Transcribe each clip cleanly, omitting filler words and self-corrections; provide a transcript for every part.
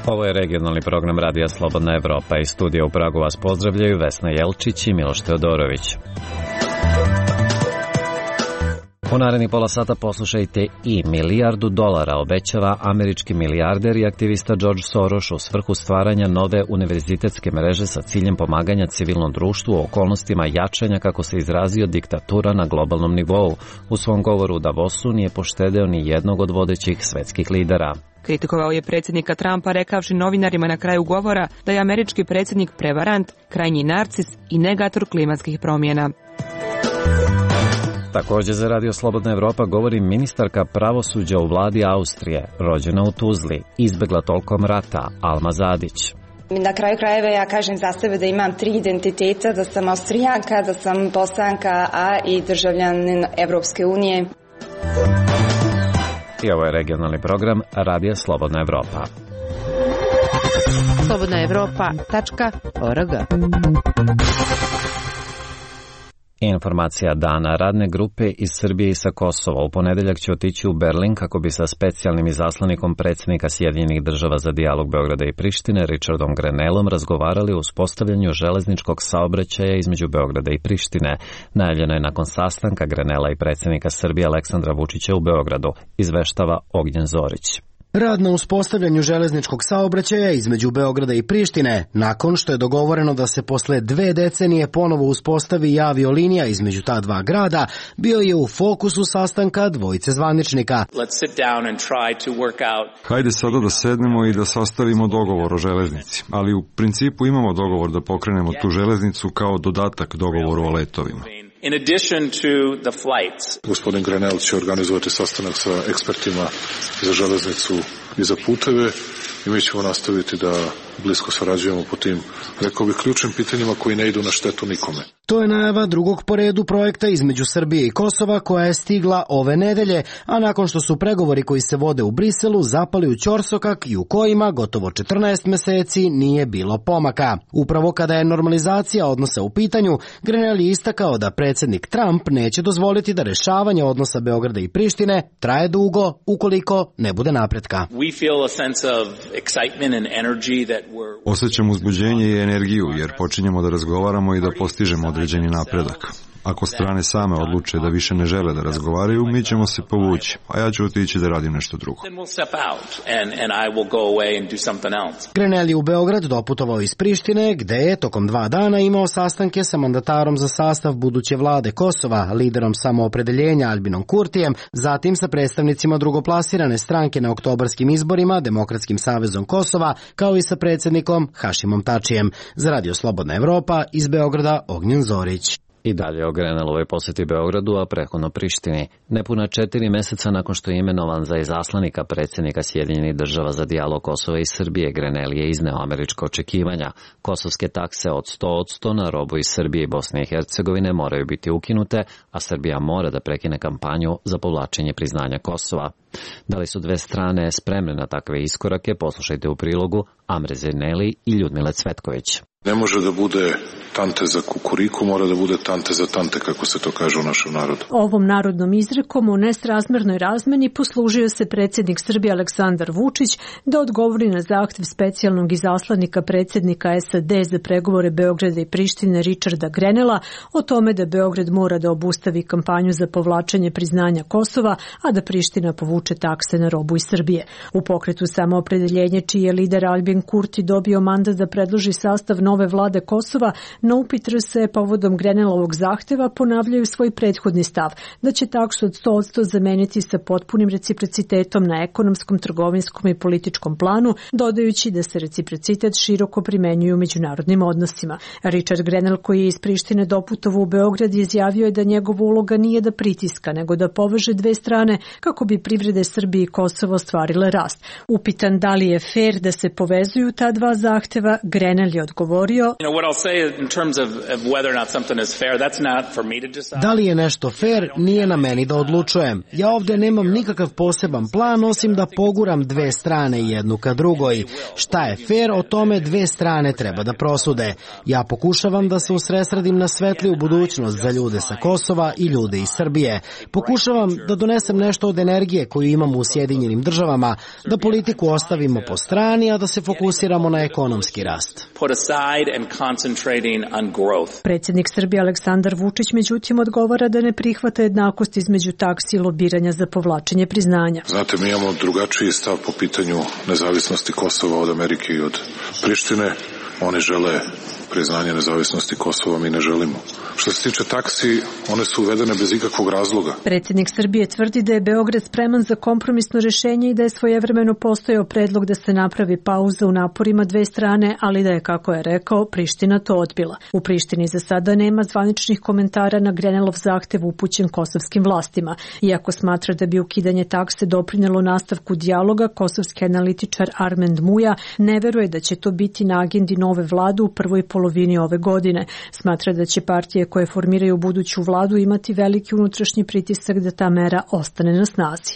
Ovo je regionalni program Radija Slobodna Evropa. Iz studija u Pragu vas pozdravljaju Vesna Jelčić i Miloš Teodorović. U narednih pola sata poslušajte i $1 milijardu obećava američki milijarder i aktivista George Soros u svrhu stvaranja nove univerzitetske mreže sa ciljem pomaganja civilnom društvu u okolnostima jačanja, kako se izrazio, diktatura na globalnom nivou. U svom govoru u Davosu nije poštedeo ni jednog od vodećih svetskih lidera. Kritikovao je predsjednika Trumpa rekavši novinarima na kraju govora da je američki predsjednik prevarant, krajnji narcis i negator klimatskih promjena. Također za Radio Slobodna Evropa govori ministarka pravosuđa u vladi Austrije, rođena u Tuzli, izbegla tokom rata, Alma Zadić. Na kraju krajeva ja kažem za sebe da imam 3 identiteta, da sam Austrijanka, da sam Bosanka, a i državljanin Evropske unije. I ovo je regionalni program Radija Slobodna Evropa. slobodnaevropa.org. Informacija dana. Radne grupe iz Srbije i sa Kosova u ponedeljak će otići u Berlin kako bi sa specijalnim izaslanikom predsjednika Sjedinjenih država za dijalog Beograda i Prištine, Richardom Grenellom, razgovarali o uspostavljanju železničkog saobraćaja između Beograda i Prištine. Najavljeno je nakon sastanka Grenella i predsjednika Srbije Aleksandra Vučića u Beogradu, izveštava Ognjen Zorić. Rad na uspostavljanju železničkog saobraćaja između Beograda i Prištine, nakon što je dogovoreno da se posle 2 decenije ponovo uspostavi i aviolinija između ta dva grada, bio je u fokusu sastanka dvojice zvaničnika. Hajde sada da sednemo i da sastavimo dogovor o železnici, ali u principu imamo dogovor da pokrenemo tu železnicu kao dodatak dogovoru o letovima. In addition to the flights. Gospodin Grenell će organizovati sastanak sa ekspertima za železnicu i za puteve i mi ćemo nastaviti da blisko sarađujemo po tim, rekao bih, ključnim pitanjima koji ne idu na štetu nikome. To je najava drugog po redu projekta između Srbije i Kosova koja je stigla ove nedelje, a nakon što su pregovori koji se vode u Briselu zapali u ćorsokak i u kojima gotovo 14 meseci nije bilo pomaka. Upravo kada je normalizacija odnosa u pitanju, Grenell je istakao da predsjednik Trump neće dozvoliti da rešavanje odnosa Beograda i Prištine traje dugo ukoliko ne bude napretka. Osjećam uzbuđenje i energiju jer počinjemo da razgovaramo i da postižemo određeni napredak. Ako strane same odluče da više ne žele da razgovaraju, mi ćemo se povući, a ja ću otići da radim nešto drugo. Grenell je u Beograd doputovao iz Prištine, gde je tokom 2 dana imao sastanke sa mandatarom za sastav buduće vlade Kosova, liderom samoopredeljenja Albinom Kurtijem, zatim sa predstavnicima drugoplasirane stranke na oktobarskim izborima, Demokratskim savezom Kosova, kao i sa predsjednikom Hašimom Tačijem. Za Radio Slobodna Evropa, iz Beograda, Ognjen Zorić. I dalje o Grenellovoj posjeti Beogradu, a prethodno Prištini. Nepuna 4 meseca nakon što je imenovan za izaslanika predsjednika Sjedinjenih država za dijalog Kosova i Srbije, Grenell je izneo američka očekivanja. Kosovske takse od 100% na robu iz Srbije i Bosne i Hercegovine moraju biti ukinute, a Srbija mora da prekine kampanju za povlačenje priznanja Kosova. Da li su dve strane spremne na takve iskorake, poslušajte u prilogu Amre Zerneli i Ljudmile Cvetković. Ne može da bude tante za kukuriku, mora da bude tante za tante, kako se to kaže u našem narodu. Ovom narodnom izrekom o nesrazmernoj razmeni poslužio se predsjednik Srbije Aleksandar Vučić da odgovori na zahtjev specijalnog izaslanika predsjednika SAD za pregovore Beograda i Prištine Richarda Grenella o tome da Beograd mora da obustavi kampanju za povlačenje priznanja Kosova, a da Priština povuče takse na robu iz Srbije. U pokretu Samoopredeljenje, čiji je lider Albin Kurti dobio mandat da predloži sastav nove vlade Kosova, na upit RS povodom Grenellovog zahteva ponavljaju svoj prethodni stav, da će taksu od 100% zameniti sa potpunim reciprocitetom na ekonomskom, trgovinskom i političkom planu, dodajući da se reciprocitet široko primenjuje u međunarodnim odnosima. Richard Grenell, koji je iz Prištine doputovao u Beograd, izjavio je da njegova uloga nije da pritiska, nego da poveže dve strane kako bi privrede Srbije i Kosova ostvarile rast. Upitan da li je fer da se povezuju ta dva zahteva, Grenell je odgovorio odgovorio: Da li je nešto fair, nije na meni da odlučujem. Ja ovde nemam nikakav poseban plan, osim da poguram dve strane jednu ka drugoj. Šta je fair, o tome dve strane treba da prosude. Ja pokušavam da se usredsredim na svetliju budućnost za ljude sa Kosova i ljude iz Srbije. Pokušavam da donesem nešto od energije koju imamo u Sjedinjenim državama, da politiku ostavimo po strani, a da se fokusiramo na ekonomski rast. Predsjednik Srbije Aleksandar Vučić međutim odgovara da ne prihvata jednakost između taksi i lobiranja za povlačenje priznanja. Znate, mi imamo drugačiji stav po pitanju nezavisnosti Kosova od Amerike i od Prištine. Oni žele priznanje nezavisnosti Kosova, mi ne želimo. Što se tiče taksi, one su uvedene bez ikakvog razloga. Predsjednik Srbije tvrdi da je Beograd spreman za kompromisno rješenje i da je svojevremeno postojao predlog da se napravi pauza u naporima dve strane, ali da je, kako je rekao, Priština to odbila. U Prištini za sada nema zvaničnih komentara na Grenelov zahtev upućen kosovskim vlastima. Iako smatra da bi ukidanje takse doprinelo nastavku dijaloga, kosovski analitičar Armend Muja ne veruje da će to biti na agendi nove vlade u prvoj polovini ove godine. Smatra da će partije koje formiraju buduću vladu imati veliki unutrašnji pritisak da ta mera ostane na snazi.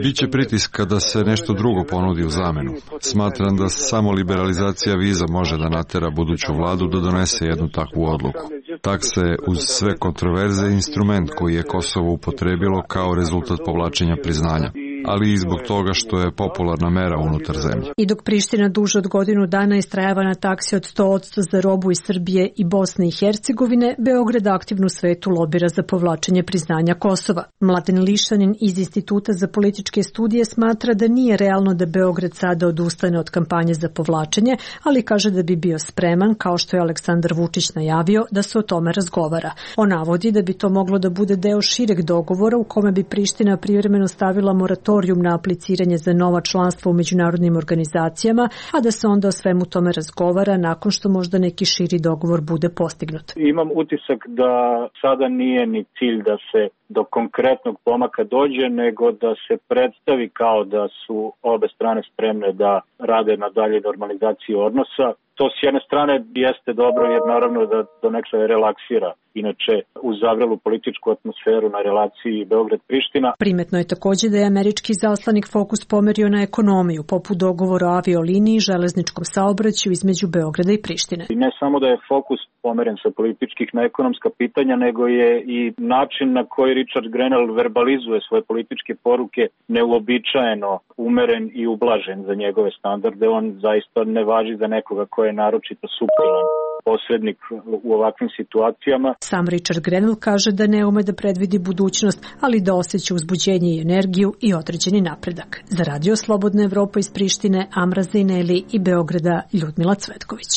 Biće pritiska da se nešto drugo ponudi u zamenu. Smatram da samo liberalizacija viza može da natera buduću vladu da donese jednu takvu odluku. Takse uz sve kontroverze je instrument koji je Kosovo upotrebilo kao rezultat povlačenja priznanja, ali i zbog toga što je popularna mera unutar zemlje. I dok Priština duže od godinu dana istrajava na taksi od 100% za robu iz Srbije i Bosne i Hercegovine, Beograd aktivno u svetu lobira za povlačenje priznanja Kosova. Mladen Lišanin iz Instituta za političke studije smatra da nije realno da Beograd sada odustane od kampanje za povlačenje, ali kaže da bi bio spreman, kao što je Aleksandar Vučić najavio, da se o tome razgovara. On navodi da bi to moglo da bude deo šireg dogovora u kome bi Priština privremeno stavila moratorijum na apliciranje za nova članstva u međunarodnim organizacijama, a da se onda o svemu tome razgovara nakon što možda neki širi dogovor bude postignut. Imam utisak da sada nije ni cilj da se do konkretnog pomaka dođe, nego da se predstavi kao da su obe strane spremne da rade na dalje normalizaciji odnosa. To s jedne strane jeste dobro jer naravno da donekle relaksira inače uz zavrelu političku atmosferu na relaciji Beograd-Priština. Primetno je također da je američki zaslanik fokus pomerio na ekonomiju, poput dogovora o avioliniji i železničkom saobraćaju između Beograda i Prištine. I ne samo da je fokus pomeren sa političkih na ekonomska pitanja, nego je i način na koji Richard Grenell verbalizuje svoje političke poruke neuobičajeno umeren i ublažen za njegove standarde. On zaista ne važi za nekoga ko je naročito suptilan posrednik u ovakvim situacijama. Sam Richard Grenell kaže da ne ume da predvidi budućnost, ali da osjeća uzbuđenje i energiju i određeni napredak. Za Radio Slobodna Evropa iz Prištine, Amra Zejneli i Beograda, Ljudmila Cvetković.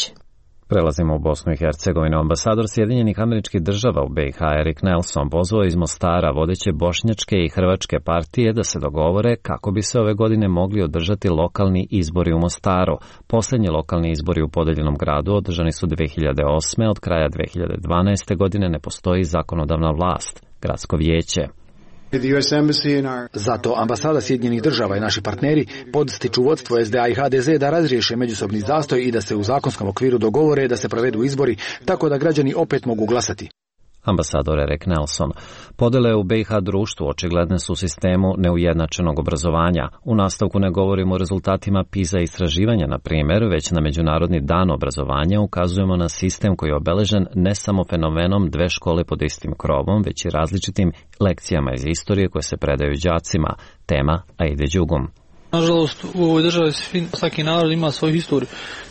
Prelazimo u Bosnu i Hercegovinu. Ambasador Sjedinjenih Američkih Država u BiH Erik Nelson pozvao iz Mostara vodeće bošnjačke i hrvačke partije da se dogovore kako bi se ove godine mogli održati lokalni izbori u Mostaru. Posljednji lokalni izbori u podeljenom gradu održani su 2008. Od kraja 2012. godine ne postoji zakonodavna vlast, gradsko vijeće. Zato ambasada Sjedinjenih Država i naši partneri podstiču vodstvo SDA i HDZ da razriješe međusobni zastoj i da se u zakonskom okviru dogovore da se provedu izbori tako da građani opet mogu glasati. Ambasador Erik Nelson. Podele u BiH društvu očigledne su u sistemu neujednačenog obrazovanja. U nastavku ne govorimo o rezultatima PISA istraživanja, na primjer, već na Međunarodni dan obrazovanja ukazujemo na sistem koji je obeležen ne samo fenomenom dve škole pod istim krovom, već i različitim lekcijama iz istorije koje se predaju đacima. Tema Aide Đugum. Nažalost, u ovoj državi svaki narod ima svoju historiju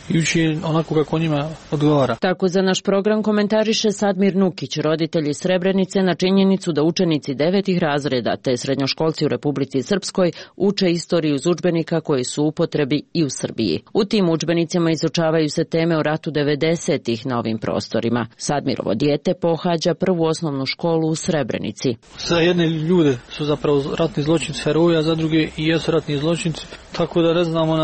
i uči onako kako njima odgovara. Tako za naš program komentariše Sadmir Nukić, roditelj iz Srebrenice, na činjenicu da učenici 9. razreda te srednjoškolci u Republici Srpskoj uče istoriju iz udžbenika koji su u upotrebi i u Srbiji. U tim udžbenicima izučavaju se teme o ratu 90-ih na ovim prostorima. Sadmirovo dijete pohađa prvu osnovnu školu u Srebrenici. Za jedne ljude su zapravo ratni zločinci heroji, a za druge i jesu ratni zločinci, tako da ne znamo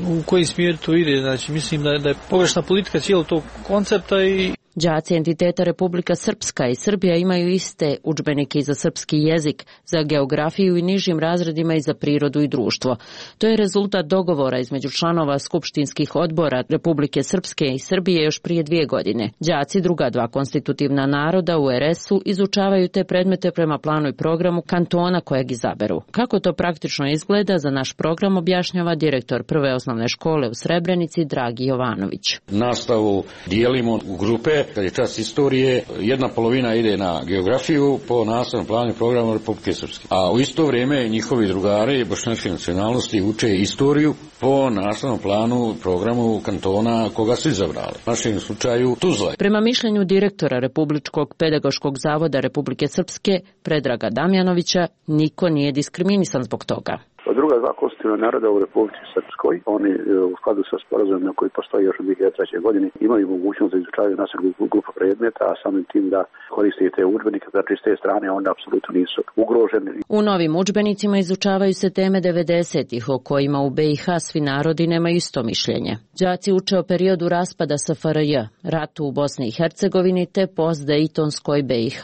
u koji smjer to ide. Znači, mislim da je pogrešna politika cijelog tog koncepta i Đaci entiteta Republika Srpska i Srbija imaju iste udžbenike i za srpski jezik, za geografiju i nižim razredima i za prirodu i društvo. To je rezultat dogovora između članova skupštinskih odbora Republike Srpske i Srbije još prije 2 godine. Đaci druga 2 konstitutivna naroda u RS-u izučavaju te predmete prema planu i programu kantona kojeg izaberu. Kako to praktično izgleda, za naš program objašnjava direktor prve osnovne škole u Srebrenici Dragi Jovanović. Nastavu dijelimo u grupe, kad je čas istorije, jedna polovina ide na geografiju po nastavnom planu i programu Republike Srpske. A u isto vrijeme njihovi drugari bošnjačke nacionalnosti uče istoriju po nastavnom planu programu kantona koga su izabrali. U našem slučaju Tuzla. Prema mišljenju direktora Republičkog pedagoškog zavoda Republike Srpske Predraga Damjanovića, niko nije diskriminisan zbog toga. Druga 2 konstitutivna naroda u Republici Srpskoj, oni u skladu sa sporazumima koji postoji još u 2003. godini, imaju mogućnost da izučavaju nacionalnu grupu predmeta, a samim tim da koriste te udžbenike, znači s te strane onda apsolutno nisu ugroženi. U novim udžbenicima izučavaju se teme 90-ih o kojima u BiH svi narodi nemaju isto mišljenje. Đaci uče o periodu raspada SFRJ, ratu u Bosni i Hercegovini te post-dejtonskoj BiH.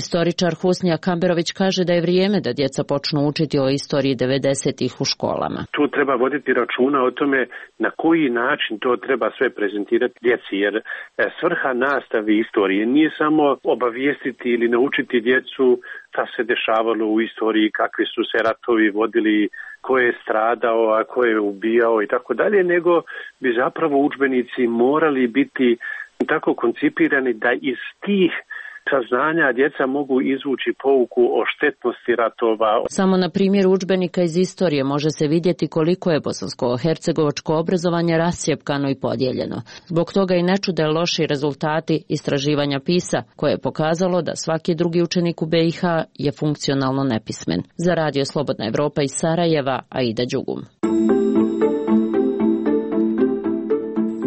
Istoričar Husnija Kamberović kaže da je vrijeme da djeca počnu učiti o istoriji 90-ih u školama. Tu treba voditi računa o tome na koji način to treba sve prezentirati djeci, jer svrha nastave istorije nije samo obavijestiti ili naučiti djecu šta se dešavalo u istoriji, kakvi su se ratovi vodili, ko je stradao, a ko je ubijao i tako dalje, nego bi zapravo udžbenici morali biti tako koncipirani da iz tih saznanja djeca mogu izvući pouku o štetnosti ratova. Samo na primjeru udžbenika iz istorije može se vidjeti koliko je bosansko-hercegovačko obrazovanje rascjepkano i podijeljeno. Zbog toga i ne čude loši rezultati istraživanja PISA, koje je pokazalo da svaki drugi učenik u BiH je funkcionalno nepismen. Za Radio Slobodna Evropa iz Sarajeva, Aida Đugum.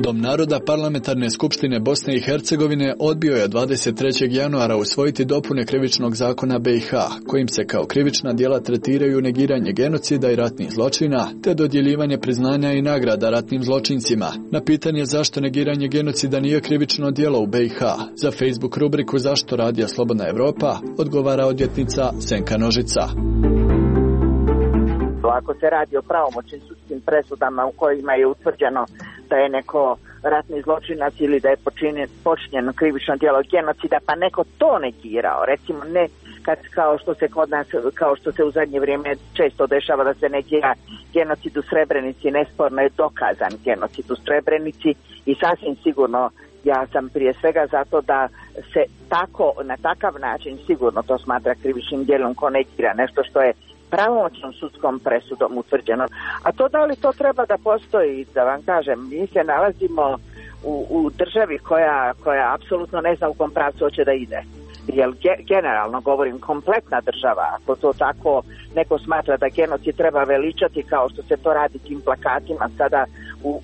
Dom naroda Parlamentarne skupštine Bosne i Hercegovine odbio je 23. januara usvojiti dopune krivičnog zakona BiH, kojim se kao krivična djela tretiraju negiranje genocida i ratnih zločina, te dodjeljivanje priznanja i nagrada ratnim zločincima. Na pitanje zašto negiranje genocida nije krivično djelo u BiH, za Facebook rubriku Zašto Radio Slobodna Evropa odgovara odvjetnica Senka Nožica. Ako se radi o pravomoćnim sudskim presudama u kojima je utvrđeno da je neko ratni zločinac ili da je počinjeno krivično djelo genocida, pa neko to negirao, recimo ne kad, kao što se kod nas, kao što se u zadnje vrijeme često dešava da se negira genocid u Srebrenici, nesporno je dokazan genocid u Srebrenici i sasvim sigurno ja sam prije svega zato da se tako, na takav način sigurno to smatra krivičnim djelom ko negira nešto što je pravomoćnom sudskom presudom utvrđeno. A to da li to treba da postoji, da vam kažem, mi se nalazimo u državi koja apsolutno ne zna u kom pravcu hoće da ide. Jer generalno govorim, kompletna država, ako to tako neko smatra da genocid treba veličati kao što se to radi tim plakatima sada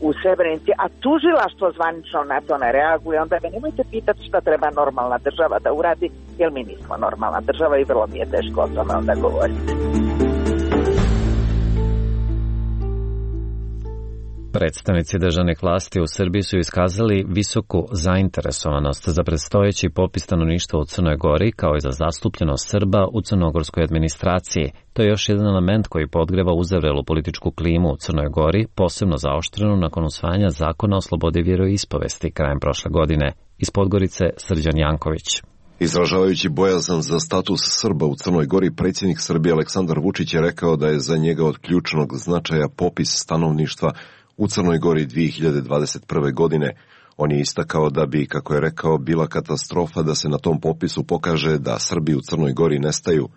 u Srebrenici, a tužilaštvo zvanično na to ne reaguje, onda me nemojte pitati šta treba normalna država da uradi, jer mi nismo normalna država i vrlo mi je teško o tome onda govoriti. Predstavnici državnih vlasti u Srbiji su iskazali visoku zainteresovanost za predstojeći popis stanovništva u Crnoj Gori, kao i za zastupljenost Srba u crnogorskoj administraciji. To je još jedan element koji podgreva uzavrelu političku klimu u Crnoj Gori, posebno zaoštrenu nakon usvajanja zakona o slobodi vjeroispovesti krajem prošle godine. Iz Podgorice Srđan Janković. Izražavajući bojazan za status Srba u Crnoj Gori, predsjednik Srbije Aleksandar Vučić je rekao da je za njega od ključnog značaja popis stanovništva u Crnoj Gori 2021. godine. On je istakao da bi, kako je rekao, bila katastrofa da se na tom popisu pokaže da Srbi u Crnoj Gori nestaju.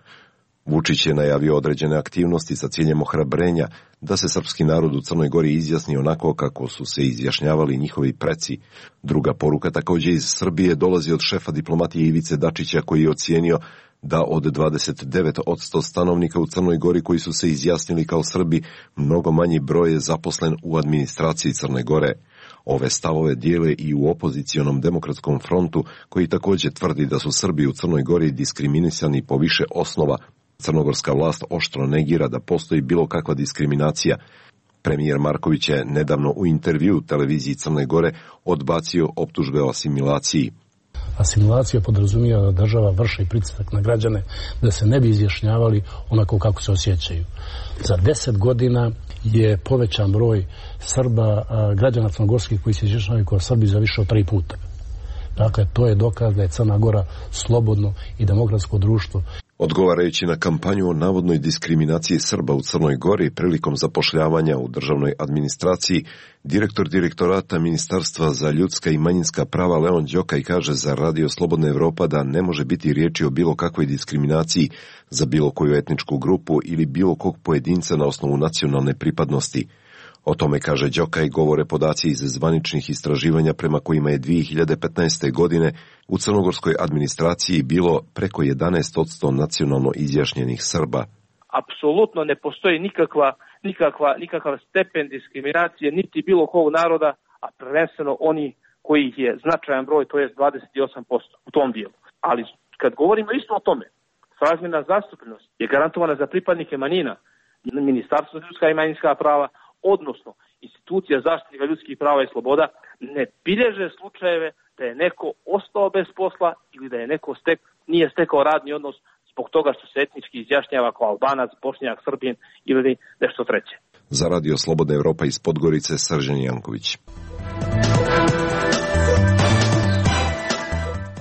Vučić je najavio određene aktivnosti sa ciljem ohrabrenja da se srpski narod u Crnoj Gori izjasni onako kako su se izjašnjavali njihovi preci. Druga poruka također iz Srbije dolazi od šefa diplomatije Ivice Dačića, koji je ocijenio da od 29% stanovnika u Crnoj Gori koji su se izjasnili kao Srbi, mnogo manji broj je zaposlen u administraciji Crne Gore. Ove stavove dijele i u opozicionom demokratskom frontu, koji također tvrdi da su Srbi u Crnoj Gori diskriminisani po više osnova. Crnogorska vlast oštro negira da postoji bilo kakva diskriminacija. Premijer Marković je nedavno u intervju televiziji Crne Gore odbacio optužbe o asimilaciji. Asimilacija podrazumijeva da država vrši pritisak na građane da se ne bi izjašnjavali onako kako se osjećaju. Za 10 godina je povećan broj Srba, građana crnogorskih koji se izjašnjavaju kao Srbi za više od 3 puta. Dakle, to je dokaz da je Crna Gora slobodno i demokratsko društvo. Odgovarajući na kampanju o navodnoj diskriminaciji Srba u Crnoj Gori prilikom zapošljavanja u državnoj administraciji, direktor direktorata Ministarstva za ljudska i manjinska prava Leon Đokaj kaže za Radio Slobodna Evropa da ne može biti riječi o bilo kakvoj diskriminaciji za bilo koju etničku grupu ili bilo kog pojedinca na osnovu nacionalne pripadnosti. O tome, kaže Đokaj, govore podaci iz zvaničnih istraživanja prema kojima je 2015. godine u crnogorskoj administraciji bilo preko 11% nacionalno izjašnjenih Srba. Apsolutno ne postoji nikakav stepen diskriminacije niti bilo kog naroda, a prvenstveno oni kojih je značajan broj, to je 28% u tom dijelu. Ali kad govorimo isto o tome, srazmjerna zastupljenost je garantovana za pripadnike manjina, Ministarstvo za ljudska i manjinska prava, odnosno institucija zaštitnika ljudskih prava i sloboda, ne bilježe slučajeve da je neko ostao bez posla ili da je neko nije stekao radni odnos zbog toga što se etnički izjašnjava kao Albanac, Bošnjak, Srbin ili nešto treće. Za Radio Slobodna Evropa iz Podgorice, Srđan Janković.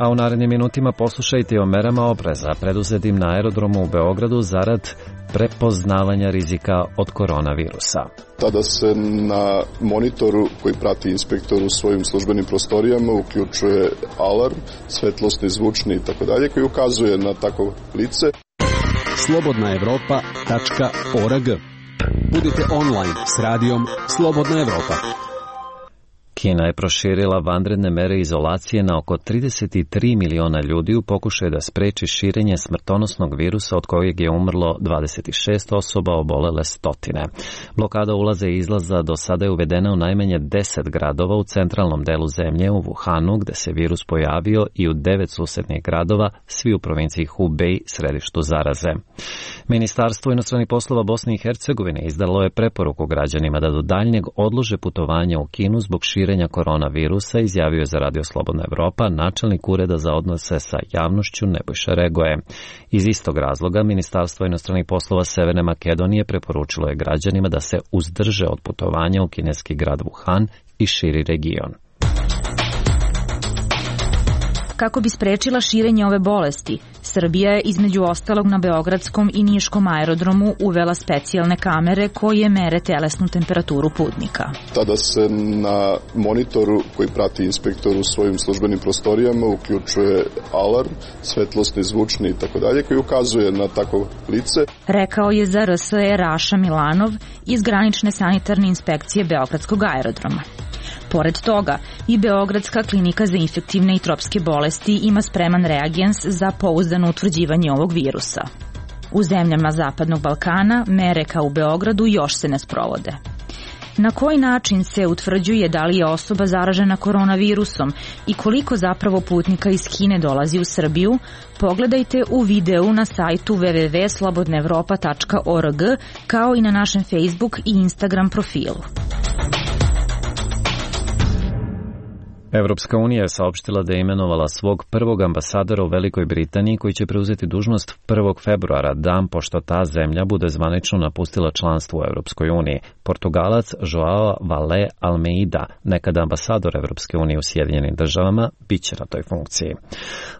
A u narednim minutima poslušajte o merama opreza preduzetim na aerodromu u Beogradu zarad prepoznavanja rizika od koronavirusa. Tada se na monitoru koji prati inspektor u svojim službenim prostorijama uključuje alarm, svetlosni, zvučni i tako dalje, koji ukazuje na takvo lice. slobodnaevropa.org. Budite online s radijom Slobodna Evropa. Kina je proširila vanredne mere izolacije na oko 33 miliona ljudi u pokušaju da spreči širenje smrtonosnog virusa od kojeg je umrlo 26 osoba, obolele stotine. Blokada ulaza i izlaza do sada je uvedena u najmanje 10 gradova u centralnom delu zemlje, u Wuhanu, gde se virus pojavio, i u 9 susednih gradova, svi u provinciji Hubei, središtu zaraze. Ministarstvo inostranih poslova Bosne i Hercegovine izdalo je preporuku građanima da do daljnjeg odlože putovanja u Kinu zbog širenja koronavirusa, izjavio je za Radio Slobodna Evropa načelnik Ureda za odnose sa javnošću Nebojša Regoje. Iz istog razloga Ministarstvo inostranih poslova Severne Makedonije preporučilo je građanima da se uzdrže od putovanja u kineski grad Wuhan i širi region. Kako bi sprečila širenje ove bolesti, Srbija je između ostalog na Beogradskom i Niškom aerodromu uvela specijalne kamere koje mere telesnu temperaturu putnika. Tada se na monitoru koji prati inspektor u svojim službenim prostorijama uključuje alarm, svetlosni, zvučni i tako dalje, koji ukazuje na takvo lice. Rekao je za RSE Raša Milanov iz granične sanitarne inspekcije Beogradskog aerodroma. Pored toga, i Beogradska klinika za infektivne i tropske bolesti ima spreman reagens za pouzdano utvrđivanje ovog virusa. U zemljama Zapadnog Balkana mere kao u Beogradu još se ne sprovode. Na koji način se utvrđuje da li je osoba zaražena koronavirusom i koliko zapravo putnika iz Kine dolazi u Srbiju, pogledajte u videu na sajtu www.slobodnaevropa.org kao i na našem Facebook i Instagram profilu. Evropska unija je saopštila da je imenovala svog prvog ambasadora u Velikoj Britaniji koji će preuzeti dužnost 1. februara, dan pošto ta zemlja bude zvanično napustila članstvo u Evropskoj uniji. Portugalac Joao Vale Almeida, nekada ambasador Evropske unije u Sjedinjenim državama, bit će na toj funkciji.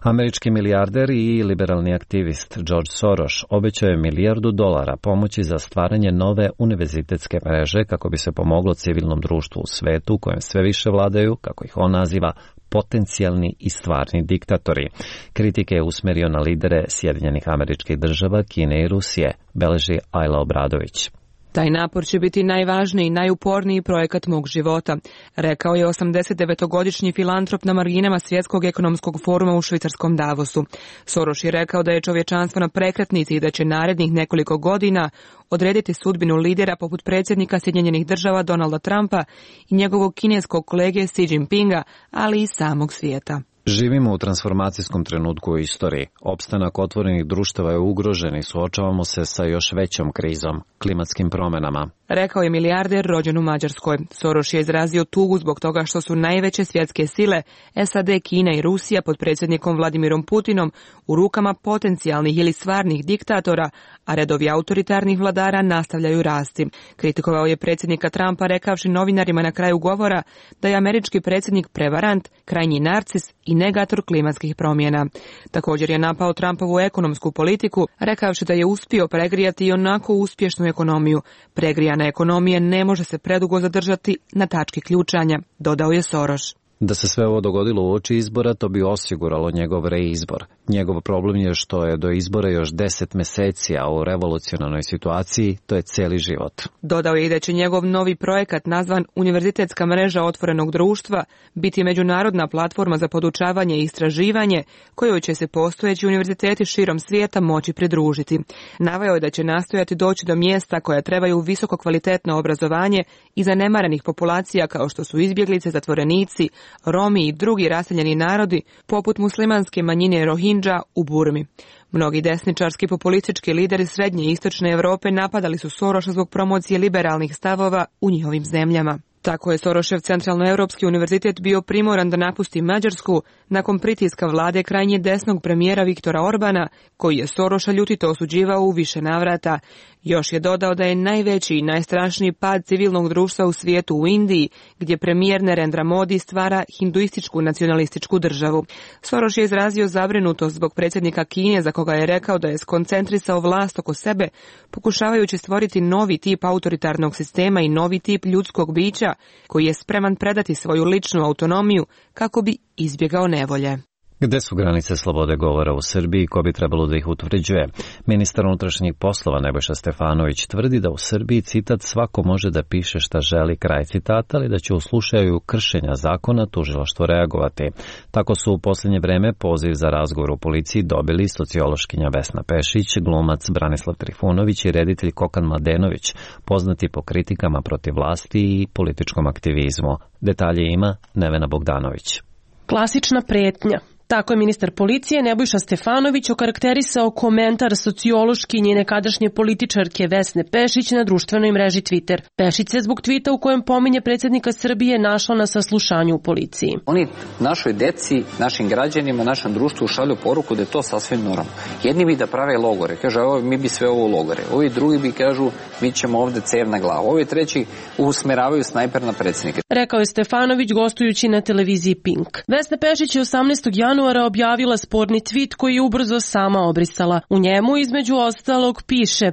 Američki milijarder i liberalni aktivist George Soros obećao je $1 milijardu pomoći za stvaranje nove univerzitetske mreže kako bi se pomoglo civilnom društvu u svetu u kojem sve više vladaju, kako ih on naziva, potencijalni i stvarni diktatori. Kritike je usmerio na lidere Sjedinjenih Američkih Država, Kine i Rusije, beleži Ajla Obradović. Taj napor će biti najvažniji i najuporniji projekat mog života, rekao je 89-godišnji filantrop na marginama Svjetskog ekonomskog foruma u švicarskom Davosu. Soros je rekao da je čovječanstvo na prekretnici i da će narednih nekoliko godina odrediti sudbinu lidera poput predsjednika Sjedinjenih Država Donalda Trumpa i njegovog kineskog kolege Xi Jinpinga, ali i samog svijeta. Živimo u transformacijskom trenutku u istoriji. Opstanak otvorenih društava je ugrožen i suočavamo se sa još većom krizom, klimatskim promjenama, rekao je milijarder rođen u Mađarskoj. Soros je izrazio tugu zbog toga što su najveće svjetske sile, SAD, Kina i Rusija pod predsjednikom Vladimirom Putinom u rukama potencijalnih ili stvarnih diktatora, a redovi autoritarnih vladara nastavljaju rasti. Kritikovao je predsjednika Trumpa rekavši novinarima na kraju govora da je američki predsjednik prevarant, krajnji narcis i negator klimatskih promjena. Također je napao Trumpovu ekonomsku politiku, rekavši da je uspio pregrijati i onako uspješnu ekonomiju. Pregrijana ekonomija ne može se predugo zadržati na tački ključanja, dodao je Soros. Da se sve ovo dogodilo uoči izbora, to bi osiguralo njegov reizbor. Njegov problem je što je do izbora još 10 meseci, a u revolucionarnoj situaciji to je cijeli život. Dodao je i da će njegov novi projekat nazvan Univerzitetska mreža otvorenog društva biti međunarodna platforma za podučavanje i istraživanje kojoj će se postojeći univerziteti širom svijeta moći pridružiti. Naveo je da će nastojati doći do mjesta koja trebaju visoko kvalitetno obrazovanje i zanemarenih populacija kao što su izbjeglice, zatvorenici, Romi i drugi raseljeni narodi, poput muslimanske manjine Rohingya u Burmi. Mnogi desničarski populistički lideri srednje i istočne Europe napadali su Soroša zbog promocije liberalnih stavova u njihovim zemljama. Tako je Sorošev Centralnoevropski univerzitet bio primoran da napusti Mađarsku nakon pritiska vlade krajnje desnog premijera Viktora Orbana, koji je Soroša ljutito osuđivao u više navrata. Još je dodao da je najveći i najstrašniji pad civilnog društva u svijetu u Indiji, gdje premijer Narendra Modi stvara hinduističku nacionalističku državu. Soros je izrazio zabrinutost zbog predsjednika Kine, za koga je rekao da je skoncentrisao vlast oko sebe, pokušavajući stvoriti novi tip autoritarnog sistema i novi tip ljudskog bića, koji je spreman predati svoju ličnu autonomiju kako bi izbjegao nevolje. Gde su granice slobode govora u Srbiji i ko bi trebalo da ih utvrđuje? Ministar unutrašnjih poslova Nebojša Stefanović tvrdi da u Srbiji, citat, svako može da piše šta želi, kraj citata, ali da će u slučaju kršenja zakona tužilaštvo reagovati. Tako su u posljednje vreme poziv za razgovor u policiji dobili sociološkinja Vesna Pešić, glumac Branislav Trifunović i reditelj Kokan Mladenović, poznati po kritikama protiv vlasti i političkom aktivizmu. Detalje ima Nevena Bogdanović. Klasična pretnja. Tako je ministar policije Nebojša Stefanović okarakterisao komentar sociološkinje nekadašnje političarke Vesne Pešić na društvenoj mreži Twitter. Pešić se zbog tvita u kojem pominje predsjednika Srbije našla na saslušanju u policiji. Oni našoj deci, našim građanima, našem društvu šalju poruku da je to sasvim normalno. Jedni bi da prave logore, kaže mi bi sve ovo logore. Ovi drugi bi kažu mi ćemo ovde cev na glavu. Ovi treći usmeravaju snajper na predsjednika. Rekao je Stefanović gostujući na televiziji Pink. Vesna Pešić je 18. januara objavila sporni tweet koji je ubrzo sama obrisala. U njemu između ostalog piše: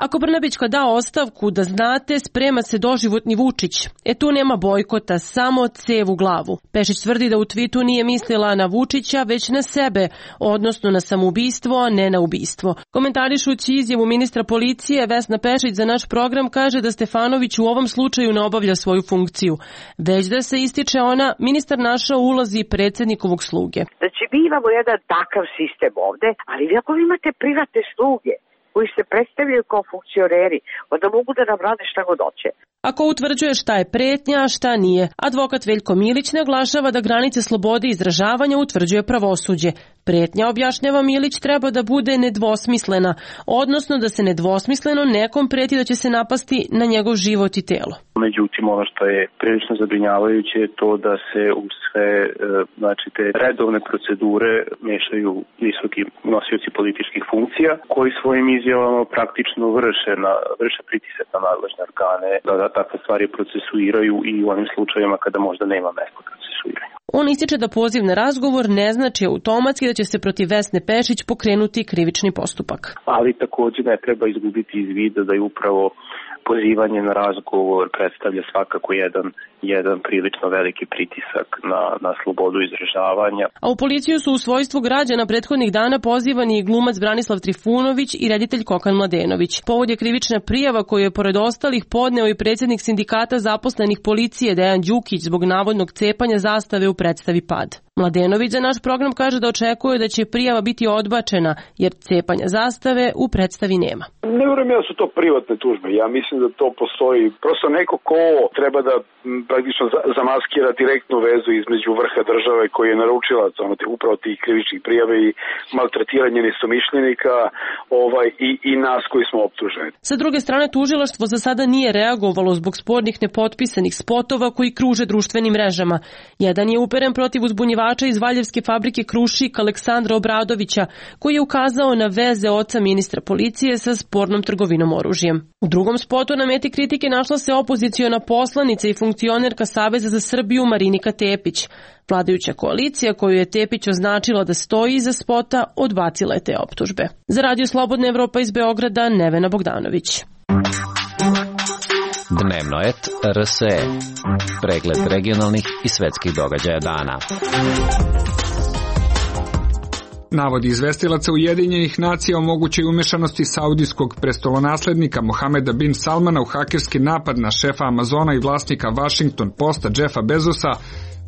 ako Brnabićka da ostavku, da znate, sprema se doživotni Vučić. Tu nema bojkota, samo cev u glavu. Pešić tvrdi da u tvitu nije mislila na Vučića, već na sebe, odnosno na samoubistvo, a ne na ubistvo. Komentarišući izjavu ministra policije, Vesna Pešić za naš program kaže da Stefanović u ovom slučaju ne obavlja svoju funkciju, već da se, ističe ona, ministar našao u ulozi predsjednikovog sluge. Znači, mi imamo jedan takav sistem ovde, ali vi ako imate privatne sluge koji se predstavljaju kao funkcioneri, onda mogu da nam rade šta god hoće. Ako utvrđuje šta je pretnja, a šta nije, advokat Veljko Milić naglašava da granice slobode izražavanja utvrđuje pravosuđe. Pretnja, objašnjava Milić, treba da bude nedvosmislena, odnosno da se nedvosmisleno nekom preti da će se napasti na njegov život i telo. Međutim, ono što je prilično zabrinjavajuće je to da se u sve te redovne procedure mešaju visoki nosioci političkih funkcija koji svojim izjavama praktično vrše pritisak na nadležne organe da takve stvari procesuiraju i u onim slučajevima kada možda nema mesta procesuiranja. On ističe da poziv na razgovor ne znači automatski da će se protiv Vesne Pešić pokrenuti krivični postupak. Ali također ne treba izgubiti iz vida da je upravo pozivanje na razgovor predstavlja svakako jedan prilično veliki pritisak na slobodu izražavanja. A u policiju su u svojstvu građana prethodnih dana pozivani i glumac Branislav Trifunović i reditelj Kokan Mladenović. Povod je krivična prijava koju je pored ostalih podneo i predsjednik sindikata zaposlenih policije Dejan Đukić zbog navodnog cepanja zastave u predstavi Pad. Mladenović za naš program kaže da očekuje da će prijava biti odbačena, jer cepanja zastave u predstavi nema. Ne vjerujem da su to privatne tužbe. Ja mislim da to postoji prosto neko ko treba da praktično zamaskira direktnu vezu između vrha države koji je naručilac upravo tih krivičnih prijava i maltretiranje neistomišljenika i nas koji smo optuženi. Sa druge strane, tužilaštvo za sada nije reagovalo zbog spornih nepotpisanih spotova koji kruže društvenim mrežama. Jedan je uperen protiv uzbunjivača iz Valjevske fabrike Krušik Aleksandra Obradovića, koji je ukazao na veze oca ministra policije sa spornom trgovinom oružjem. U drugom spotu na meti kritike našla se opoziciona poslanica i funkcionerka Saveza za Srbiju Marinika Tepić. Vladajuća koalicija, koju je Tepić označila da stoji iza spota, odbacila je te optužbe. Za Radio Slobodna Evropa iz Beograda, Nevena Bogdanović. Dnevno et RSE. Pregled regionalnih i svetskih događaja dana. Navodi izvestilaca Ujedinjenih nacija o mogućoj umešanosti saudijskog prestolonaslednika Mohameda bin Salmana u hakerski napad na šefa Amazona i vlasnika Washington Posta Jeffa Bezosa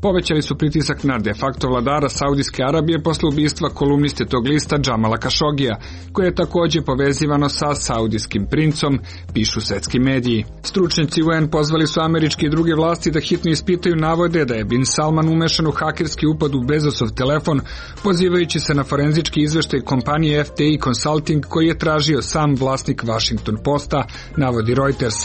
povećali su pritisak na de facto vladara Saudijske Arabije posle ubistva kolumniste tog lista Džamala Kašogija, koje je takođe povezivano sa saudijskim princom, pišu svetski mediji. Stručnjaci UN pozvali su američke i druge vlasti da hitno ispitaju navode da je bin Salman umešan u hakerski upad u Bezosov telefon, pozivajući se na forenzički izveštaj kompanije FTI Consulting koji je tražio sam vlasnik Washington Posta, navodi Reuters.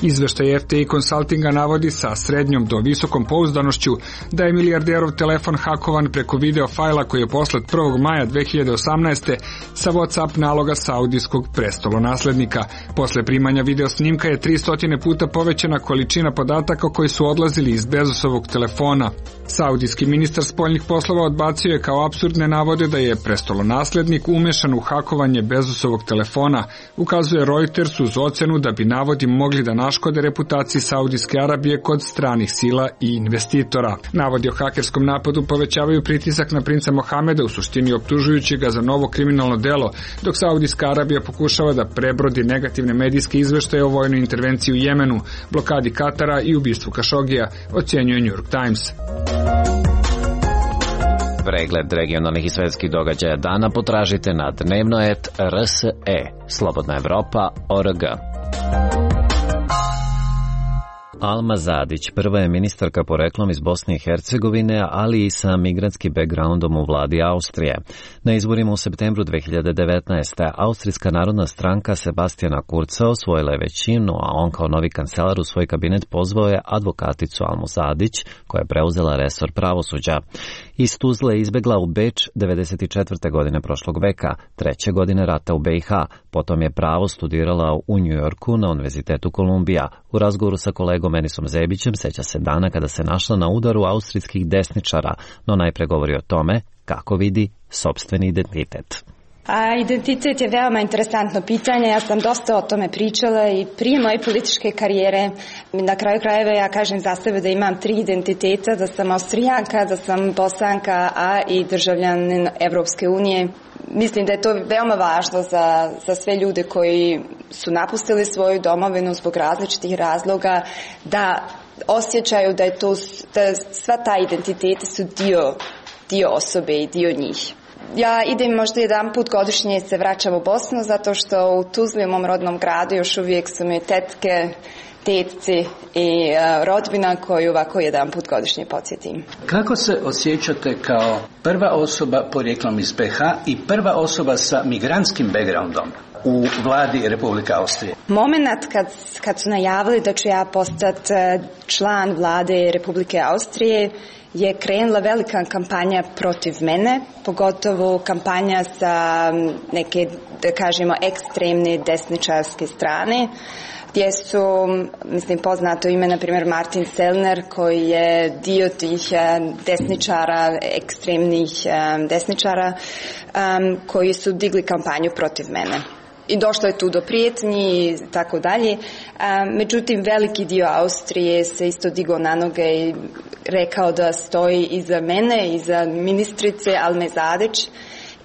Izveštaj FTI Consultinga navodi sa srednjom do visokom pouzdanošću da je milijarderov telefon hakovan preko video fajla koji je poslat 1. maja 2018. sa WhatsApp naloga saudijskog prestolonaslednika. Posle primanja video snimka je 300 puta povećana količina podataka koji su odlazili iz Bezosovog telefona. Saudijski ministar spoljnih poslova odbacio je kao apsurdne navode da je prestolonaslednik umešan u hakovanje Bezosovog telefona, ukazuje Reuters uz ocenu da bi navodi mogli da naškode reputaciji Saudijske Arabije kod stranih sila i investitora. Navodi o hakerskom napadu povećavaju pritisak na princa Mohameda, u suštini optužujući ga za novo kriminalno delo, dok Saudijska Arabija pokušava da prebrodi negativne medijske izveštaje o vojnoj intervenciji u Jemenu, blokadi Katara i ubistvu Kašogija, ocenjuje New York Times. Pregled regionalnih i svetskih događaja dana potražite na dnevno.rs.e. Slobodna Evropa.org. Alma Zadić prva je ministarka poreklom iz Bosne i Hercegovine, ali i sa migrantskim backgroundom u vladi Austrije. Na izborima u septembru 2019. Austrijska narodna stranka Sebastijana Kurca osvojila je većinu, a on kao novi kancelar u svoj kabinet pozvao je advokaticu Almu Zadić, koja je preuzela resor pravosuđa. Iz Tuzle je izbegla u Beč 94. godine prošlog veka, 3. godine rata u BiH. Potom je pravo studirala u Njujorku na Univerzitetu Kolumbija. U razgovoru sa kolegom Enisom Zebićem seća se dana kada se našla na udaru austrijskih desničara, no najpre govori o tome kako vidi sopstveni identitet. Identitet je veoma interesantno pitanje, ja sam dosta o tome pričala i prije moje političke karijere. Na kraju krajeva ja kažem za sebe da imam 3 identiteta, da sam Austrijanka, da sam Bosanka, a i državljanin Evropske unije. Mislim da je to veoma važno za sve ljude koji su napustili svoju domovinu zbog različitih razloga, da osjećaju da je to, da sva ta identiteti su dio osobe i dio njih. Ja idem možda jedan put godišnje se vraćam u Bosnu, zato što u Tuzli, u mom rodnom gradu, još uvijek su mi tetke, tetci i rodbina koju ovako jedan put godišnje podsjetim. Kako se osjećate kao prva osoba porijeklom iz BiH i prva osoba sa migrantskim backgroundom u vladi Republike Austrije? Moment kad su najavili da ću ja postati član vlade Republike Austrije, je krenula velika kampanja protiv mene, pogotovo kampanja sa neke, da kažemo, ekstremne desničarske strane, gdje su, mislim, poznato ime, na primjer, Martin Sellner, koji je dio tih desničara, ekstremnih desničara, koji su digli kampanju protiv mene. I došlo je tu do prijetnji i tako dalje. Međutim, veliki dio Austrije se isto digao na noge i rekao da stoji iza mene, iza ministrice Alme Zadić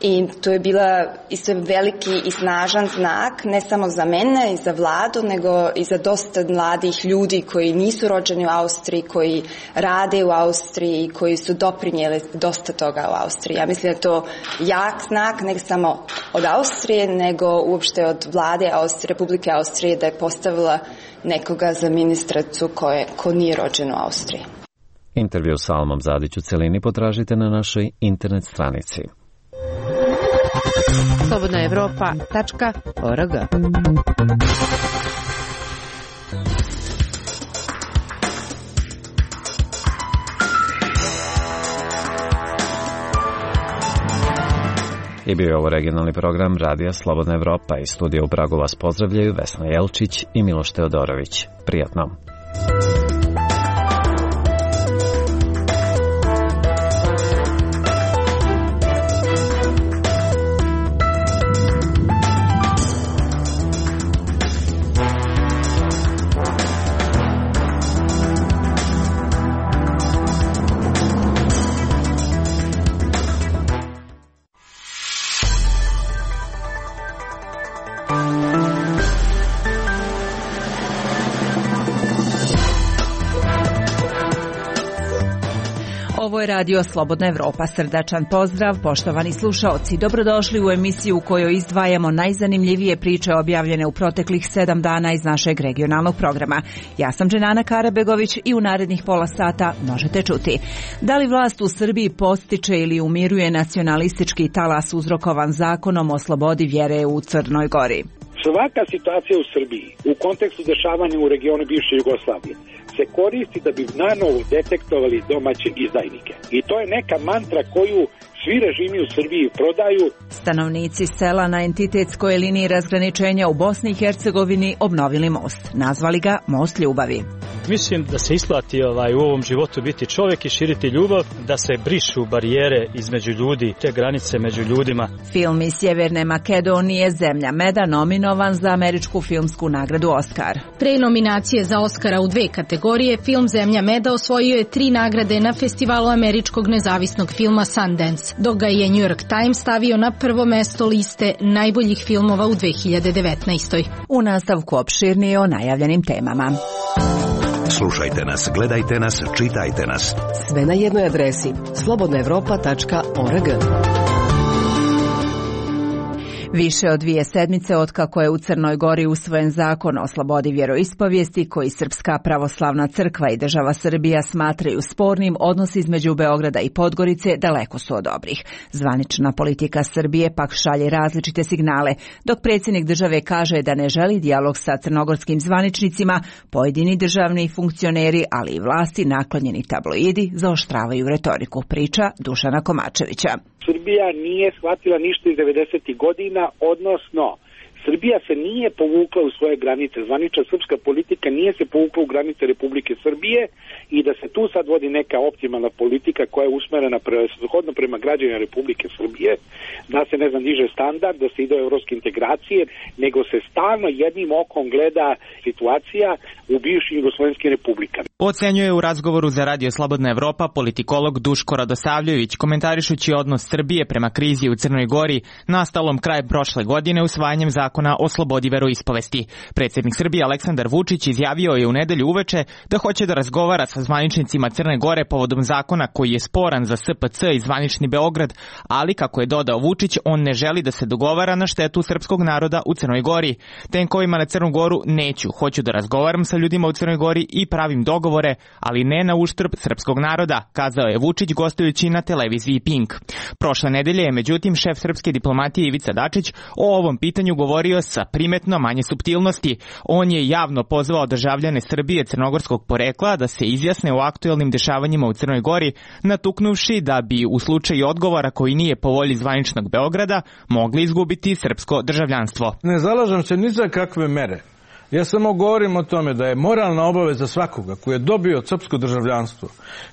I to je bila isto veliki i snažan znak, ne samo za mene i za vladu, nego i za dosta mladih ljudi koji nisu rođeni u Austriji, koji rade u Austriji i koji su doprinijeli dosta toga u Austriji. Ja mislim da je to jak znak, ne samo od Austrije, nego uopšte od vlade Republike Austrije, da je postavila nekoga za ministricu ko nije rođen u Austriji. Intervju sa Almom Zadić u celini potražite na našoj internet stranici. slobodnaevropa.org. I bio je ovo regionalni program Radija Slobodna Evropa. Iz studija u Pragu vas pozdravljaju Vesna Jelčić i Miloš Teodorović. Prijatno. Ovo je Radio Slobodna Evropa. Srdačan pozdrav, poštovani slušaoci. Dobrodošli u emisiju u kojoj izdvajamo najzanimljivije priče objavljene u proteklih 7 dana iz našeg regionalnog programa. Ja sam Dženana Karabegović i u narednih pola sata možete čuti. Da li vlast u Srbiji podstiče ili umiruje nacionalistički talas uzrokovan zakonom o slobodi vjere u Crnoj Gori? Svaka situacija u Srbiji u kontekstu dešavanja u regionu bivše Jugoslavije se koristi da bi nanovo detektovali domaće izdajnike. I to je neka mantra koju svi režimi u Srbiji prodaju. Stanovnici sela na entitetskoj liniji razgraničenja u Bosni i Hercegovini obnovili most. Nazvali ga Most ljubavi. Mislim da se isplati u ovom životu biti čovjek i širiti ljubav, da se brišu barijere između ljudi, te granice među ljudima. Film iz Sjeverne Makedonije Zemlja meda nominovan za američku filmsku nagradu Oskar. Pre nominacije za Oskara u 2 kategorije, film Zemlja meda osvojio je 3 nagrade na festivalu američkog nezavisnog filma Sundance, dok ga je New York Times stavio na prvo mesto liste najboljih filmova u 2019. U nastavku opširnije o najavljenim temama. Slušajte nas, gledajte nas, čitajte nas. Sve na jednoj adresi slobodnaevropa.org. Više od 2 sedmice otkako je u Crnoj Gori usvojen zakon o slobodi vjeroispovijesti koji Srpska pravoslavna crkva i država Srbija smatraju spornim, odnosi između Beograda i Podgorice daleko su od dobrih. Zvanična politika Srbije pak šalje različite signale, dok predsjednik države kaže da ne želi dijalog sa crnogorskim zvaničnicima, pojedini državni funkcioneri, ali i vlasti naklonjeni tabloidi zaoštravaju retoriku, priča Dušana Komačevića. Srbija nije shvatila ništa iz 90. godina, odnosno Srbija se nije povukla u svoje granice, zvanična srpska politika nije se povukla u granice Republike Srbije i da se tu sad vodi neka optimalna politika koja je usmerena shodno prema građanima Republike Srbije, da se diže standard, da se ide u evropske integracije, nego se stalno jednim okom gleda situacija u bivšim jugoslovenskim republikama. Ocenjuje u razgovoru za Radio Slobodna Evropa politikolog Duško Radosavljević, komentarišući odnos Srbije prema krizi u Crnoj Gori nastalom krajem prošle godine usvajanjem zakona o slobodi veroispovesti. Predsjednik Srbije Aleksandar Vučić izjavio je u nedelju uveče da hoće da razgovara sa zvaničnicima Crne Gore povodom zakona koji je sporan za SPC i zvanični Beograd, ali kako je dodao Vučić, on ne želi da se dogovara na štetu srpskog naroda u Crnoj Gori. Tenkovima na Crnu Goru neću, hoću da razgovaram sa ljudima u Crnoj Gori i pravim dogovore, ali ne na uštrb srpskog naroda, kazao je Vučić gostujući na televiziji Pink. Prošle nedelje je međutim šef srpske diplomatije Ivica Dačić o ovom pitanju govorio sa primetno manje suptilnosti. On je javno pozvao državljane Srbije crnogorskog porekla da se izjasne o aktuelnim dešavanjima u Crnoj Gori, natuknuvši da bi u slučaju odgovora koji nije po volji zvaničnog Beograda mogli izgubiti srpsko državljanstvo. Ne zalažem se ni za kakve mere. Ja samo govorim o tome da je moralna obaveza svakoga koji je dobio srpsko državljanstvo,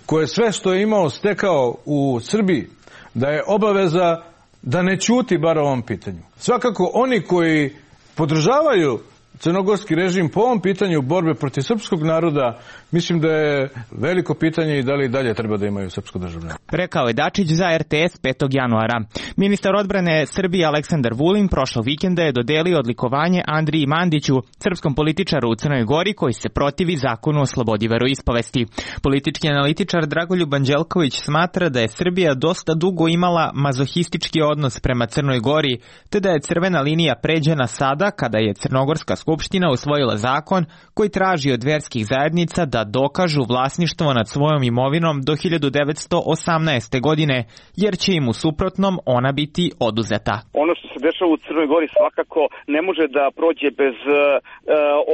koje sve što je imao stekao u Srbiji, da je obaveza da ne ćuti bar o ovom pitanju. Svakako oni koji podržavaju crnogorski režim po ovom pitanju borbe protiv srpskog naroda, mislim da je veliko pitanje i da li i dalje treba da imaju srpsko državljanstvo. Rekao je Dačić za RTS 5. januara. Ministar odbrane Srbije Aleksandar Vulin prošlog vikenda je dodelio odlikovanje Andriji Mandiću, srpskom političaru u Crnoj Gori koji se protivi zakonu o slobodi veroispovesti. Politički analitičar Dragoljub Anđelković smatra da je Srbija dosta dugo imala mazohistički odnos prema Crnoj Gori, te da je crvena linija pređena sada kada je Crnogorska skupština usvojila zakon koji traži od verskih zajednica da dokažu vlasništvo nad svojom imovinom do 1918. godine, jer će im u suprotnom ona biti oduzeta. Ono što se dešava u Crnoj Gori svakako ne može da prođe bez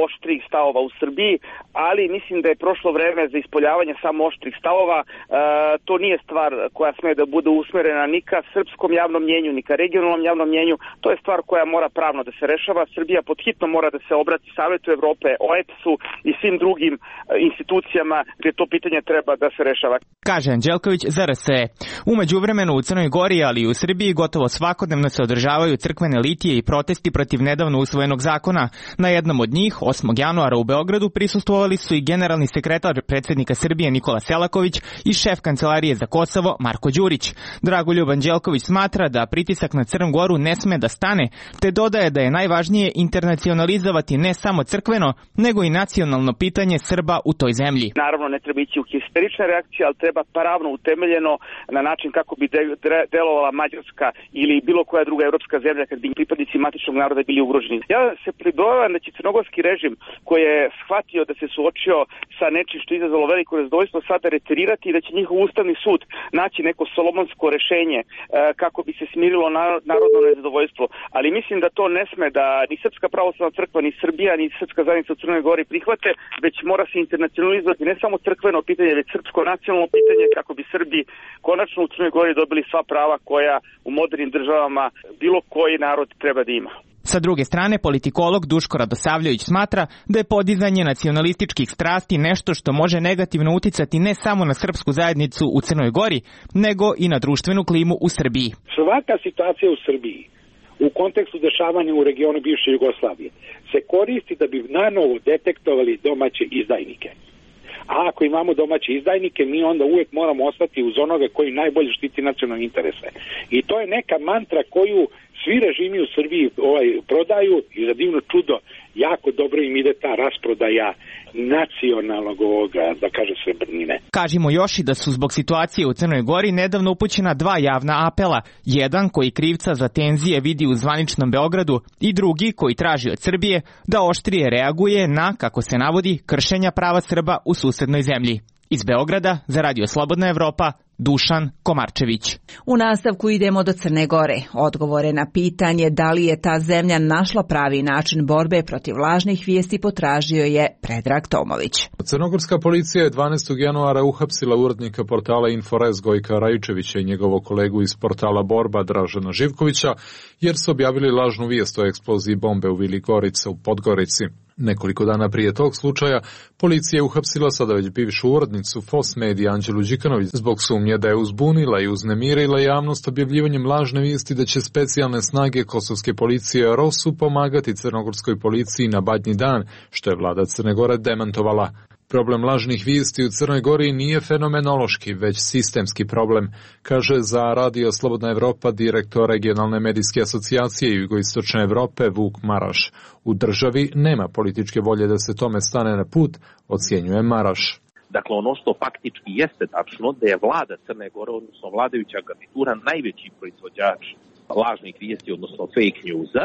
oštrih stavova u Srbiji, ali mislim da je prošlo vreme za ispoljavanje samo oštrih stavova. To nije stvar koja sme da bude usmerena ni ka srpskom javnom mnjenju, ni ka regionalnom javnom mnjenju. To je stvar koja mora pravno da se rešava. Srbija podhitno mora da se obrati Savetu Evrope, OEBS-u i svim drugim institucijama gdje to pitanje treba da se rešava. Kaže Anđelković za RSE. Umeđu vremenu u Crnoj Gori, ali i u Srbiji gotovo svakodnevno se održavaju crkvene litije i protesti protiv nedavno usvojenog zakona. Na jednom od njih, 8. januara u Beogradu, prisustvovali su i generalni sekretar predsjednika Srbije Nikola Selaković i šef Kancelarije za Kosovo Marko Đurić. Dragoljub Anđelković smatra da pritisak na Crnu Goru ne sme da stane, te dodaje da je najvažnije internacionalizovati ne samo crkveno, nego i nacionalno pitanje Srba u toj zemlji. Naravno, ne treba ići u histerične reakcije, ali treba pravno utemeljeno na način kako bi delovala Mađarska ili bilo koja druga evropska zemlja kad bi pripadnici matičnog naroda bili ugroženi. Ja se pribojavam da će crnogorski režim koji je shvatio da se suočio sa nečim što je izazvalo veliko nezadovoljstvo sada retirirati i da će njihov ustavni sud naći neko solomonsko rešenje kako bi se smirilo narodno nezadovoljstvo. Ali mislim da to ne sme da ni Srpska pravoslavna crkva, ni Srbija, ni Srpska zajednica u Crnoj Gori prihvate, već mora se internacionalizovati ne samo crkveno pitanje, već srpsko nacionalno pitanje kako bi Srbi konačno u Crnoj Gori dobili sva prava koja u modernim državama bilo koji narod treba da ima. Sa druge strane, politikolog Duško Radosavljević smatra da je podizanje nacionalističkih strasti nešto što može negativno uticati ne samo na srpsku zajednicu u Crnoj Gori, nego i na društvenu klimu u Srbiji. Svaka situacija u Srbiji u kontekstu dešavanja u regionu bivše Jugoslavije se koristi da bi nanovo detektovali domaće izdajnike. A ako imamo domaće izdajnike, mi onda uvijek moramo ostati uz onoga koji najbolje štiti nacionalne interese. I to je neka mantra koju svi režimi u Srbiji prodaju i za divno čudo jako dobro im ide ta rasprodaja nacionalnog da kaže srebrnine. Kažimo još i da su zbog situacije u Crnoj Gori nedavno upućena 2 javna apela. Jedan koji krivca za tenzije vidi u zvaničnom Beogradu i drugi koji traži od Srbije da oštrije reaguje na, kako se navodi, kršenja prava Srba u susednoj zemlji. Iz Beograda za Radio Slobodna Evropa, Dušan Komarčević. U nastavku idemo do Crne Gore. Odgovore na pitanje da li je ta zemlja našla pravi način borbe protiv lažnih vijesti potražio je Predrag Tomović. Crnogorska policija je 12. januara uhapsila urednika portala Inforez Gojka Rajučevića i njegovog kolegu iz portala Borba Dražena Živkovića, jer su objavili lažnu vijest o eksploziji bombe u Vili Gorica u Podgorici. Nekoliko dana prije tog slučaja, policija je uhapsila sada već bivšu urednicu FOS Medija Anđelu Đikanović zbog sumnje da je uzbunila i uznemirila javnost objavljivanjem lažne vijesti da će specijalne snage kosovske policije ROSU pomagati crnogorskoj policiji na Badnji dan, što je vlada Crne Gore demantovala. Problem lažnih vijesti u Crnoj Gori nije fenomenološki, već sistemski problem, kaže za Radio Slobodna Evropa direktor regionalne medijske asocijacije Jugoistočne Evrope Vuk Maraš. U državi nema političke volje da se tome stane na put, ocjenjuje Maraš. Dakle, ono što faktički jeste tačno da je vlada Crne Gore, odnosno vladajuća garnitura, najveći proizvođač lažnih vijesti, odnosno fake newsa.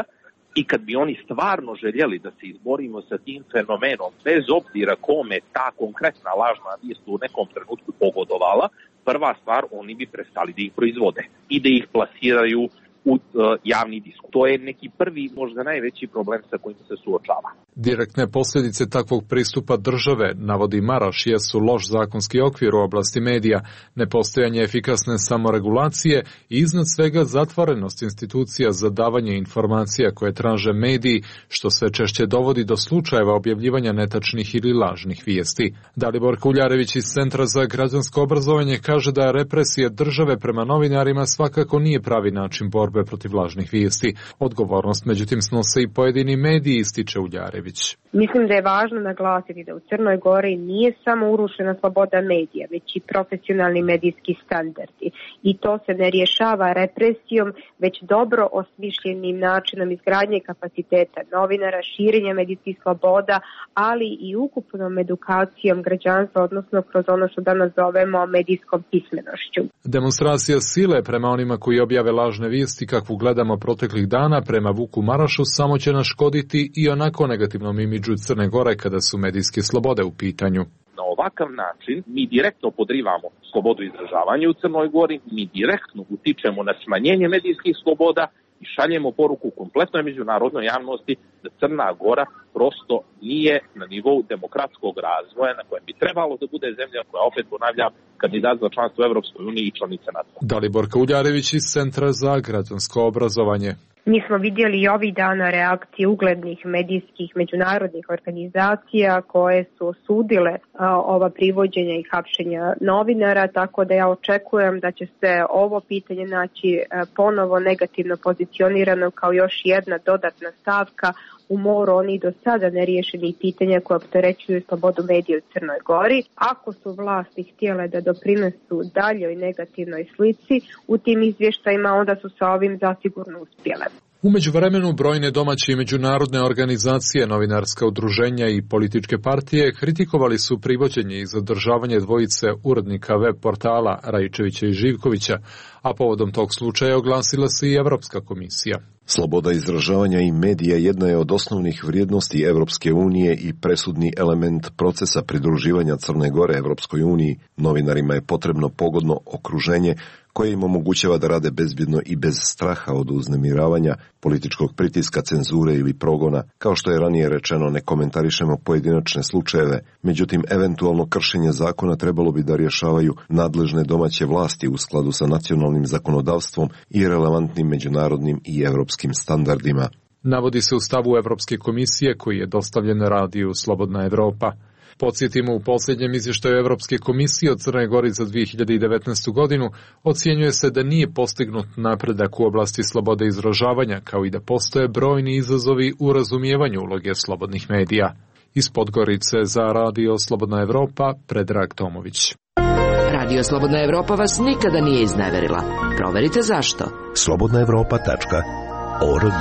I kad bi oni stvarno željeli da se izborimo sa tim fenomenom, bez obzira kome ta konkretna lažna vijest u nekom trenutku pogodovala, prva stvar, oni bi prestali da ih proizvode i da ih plasiraju u javni diskus. To je neki prvi, možda najveći problem sa kojim se suočava. Direktne posljedice takvog pristupa države, navodi Maraš, jesu loš zakonski okvir u oblasti medija, nepostojanje efikasne samoregulacije i iznad svega zatvorenost institucija za davanje informacija koje traže mediji, što sve češće dovodi do slučajeva objavljivanja netačnih ili lažnih vijesti. Dalibor Kuljarević iz Centra za građansko obrazovanje kaže da represija države prema novinarima svakako nije pravi način borbe borbe protiv lažnih vijesti. Odgovornost međutim snose i pojedini mediji, ističe Uljarević. Mislim da je važno naglasiti da u Crnoj Gori nije samo urušena sloboda medija, već i profesionalni medijski standardi. I to se ne rješava represijom, već dobro osmišljenim načinom izgradnje kapaciteta novinara, širenja medijskih sloboda, ali i ukupnom edukacijom građanstva, odnosno kroz ono što danas zovemo medijskom pismenošću. Demonstracija sile prema onima koji objave lažne vijesti kakvu gledamo proteklih dana prema Vuku Marašu samo će naškoditi i onako negativnom imidžu Crne Gore kada su medijske slobode u pitanju. Na ovakav način mi direktno podrivamo slobodu izražavanja u Crnoj Gori, mi direktno utičemo na smanjenje medijskih sloboda i šaljemo poruku kompletnoj međunarodnoj javnosti da Crna Gora prosto nije na nivou demokratskog razvoja na kojem bi trebalo da bude zemlja koja, opet ponavljam, kandidat za članstvo u Evropskoj uniji i članica NATO. Daliborka Uljarević iz Centra za građansko obrazovanje. Mi smo vidjeli i ovih dana reakcije uglednih medijskih međunarodnih organizacija koje su osudile ova privođenja i hapšenja novinara, tako da ja očekujem da će se ovo pitanje naći ponovo negativno pozicionirano kao još jedna dodatna stavka u moru onih do sada neriješenih pitanja koje opterećuju slobodu medija u Crnoj Gori. Ako su vlasti htjele da doprinesu daljoj negativnoj slici u tim izvještajima, onda su sa ovim zasigurno uspjele. U međuvremenu brojne domaće i međunarodne organizacije, novinarska udruženja i političke partije kritikovali su privođenje i zadržavanje dvojice urednika web portala Rajčevića i Živkovića, a povodom tog slučaja oglasila se i Evropska komisija. Sloboda izražavanja i medija jedna je od osnovnih vrijednosti Evropske unije i presudni element procesa pridruživanja Crne Gore Evropskoj uniji. Novinarima je potrebno pogodno okruženje koje im omogućava da rade bezbjedno i bez straha od uznemiravanja, političkog pritiska, cenzure ili progona. Kao što je ranije rečeno, ne komentarišemo pojedinačne slučajeve, međutim eventualno kršenje zakona trebalo bi da rješavaju nadležne domaće vlasti u skladu sa nacionalnim zakonodavstvom i relevantnim međunarodnim i evropskim standardima. Navodi se u stavu Evropske komisije koji je dostavljen radiju Slobodna Evropa. Podsjetimo, u posljednjem izvještaju Evropske komisije o Crnoj Gori za 2019. godinu ocjenjuje se da nije postignut napredak u oblasti slobode izražavanja, kao i da postoje brojni izazovi u razumijevanju uloge slobodnih medija. Iz Podgorice za radio Slobodna Evropa, Predrag Tomović. Radio Slobodna Evropa vas nikada nije izneverila. Proverite zašto. slobodnaevropa.org.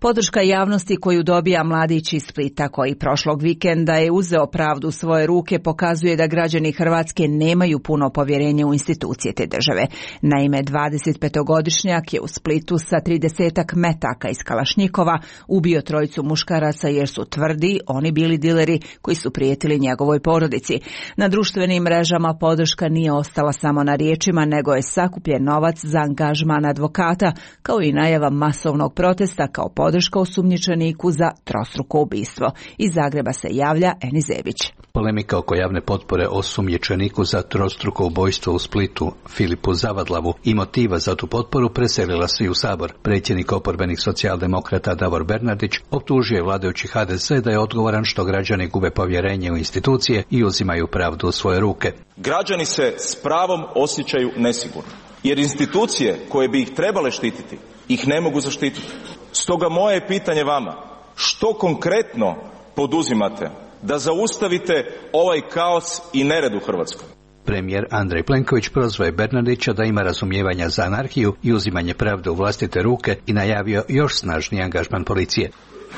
Podrška javnosti koju dobija mladić iz Splita koji prošlog vikenda je uzeo pravdu u svoje ruke pokazuje da građani Hrvatske nemaju puno povjerenja u institucije te države. Naime, 25-godišnjak je u Splitu sa 30-ak metaka iz Kalašnjikova ubio trojicu muškaraca jer su tvrdi oni bili dileri koji su prijetili njegovoj porodici. Na društvenim mrežama podrška nije ostala samo na riječima, nego je sakupljen novac za angažman advokata, kao i najava masovnog protesta kao podrška osumnjičeniku za trostruko ubistvo. Iz Zagreba se javlja Enizević. Polemika oko javne potpore osumnjičeniku za trostruko ubojstvo u Splitu, Filipu Zavadlavu, i motiva za tu potporu preselila se i u Sabor. Predsjednik oporbenih socijaldemokrata Davor Bernardić optužio je vladajući HDZ da je odgovoran što građani gube povjerenje u institucije i uzimaju pravdu u svoje ruke. Građani se s pravom osjećaju nesigurno, jer institucije koje bi ih trebale štititi ih ne mogu zaštititi. Stoga moje pitanje vama, što konkretno poduzimate da zaustavite ovaj kaos i nered u Hrvatskoj? Premijer Andrej Plenković prozvao je Bernardića da ima razumijevanja za anarhiju i uzimanje pravde u vlastite ruke i najavio još snažniji angažman policije.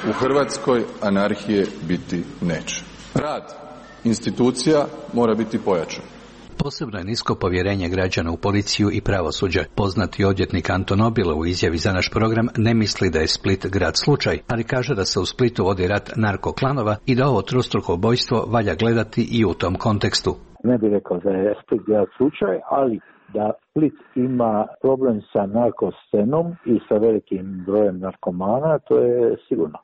U Hrvatskoj anarhije biti neće. Rad institucija mora biti pojačan. Posebno je nisko povjerenje građana u policiju i pravosuđe. Poznati odvjetnik Anton Obilo u izjavi za naš program ne misli da je Split grad slučaj, ali kaže da se u Splitu vodi rat narkoklanova i da ovo trostruko ubojstvo valja gledati i u tom kontekstu. Ne bih rekao da je Split grad slučaj, ali da Split ima problem sa narkoscenom i sa velikim brojem narkomana, to je sigurno.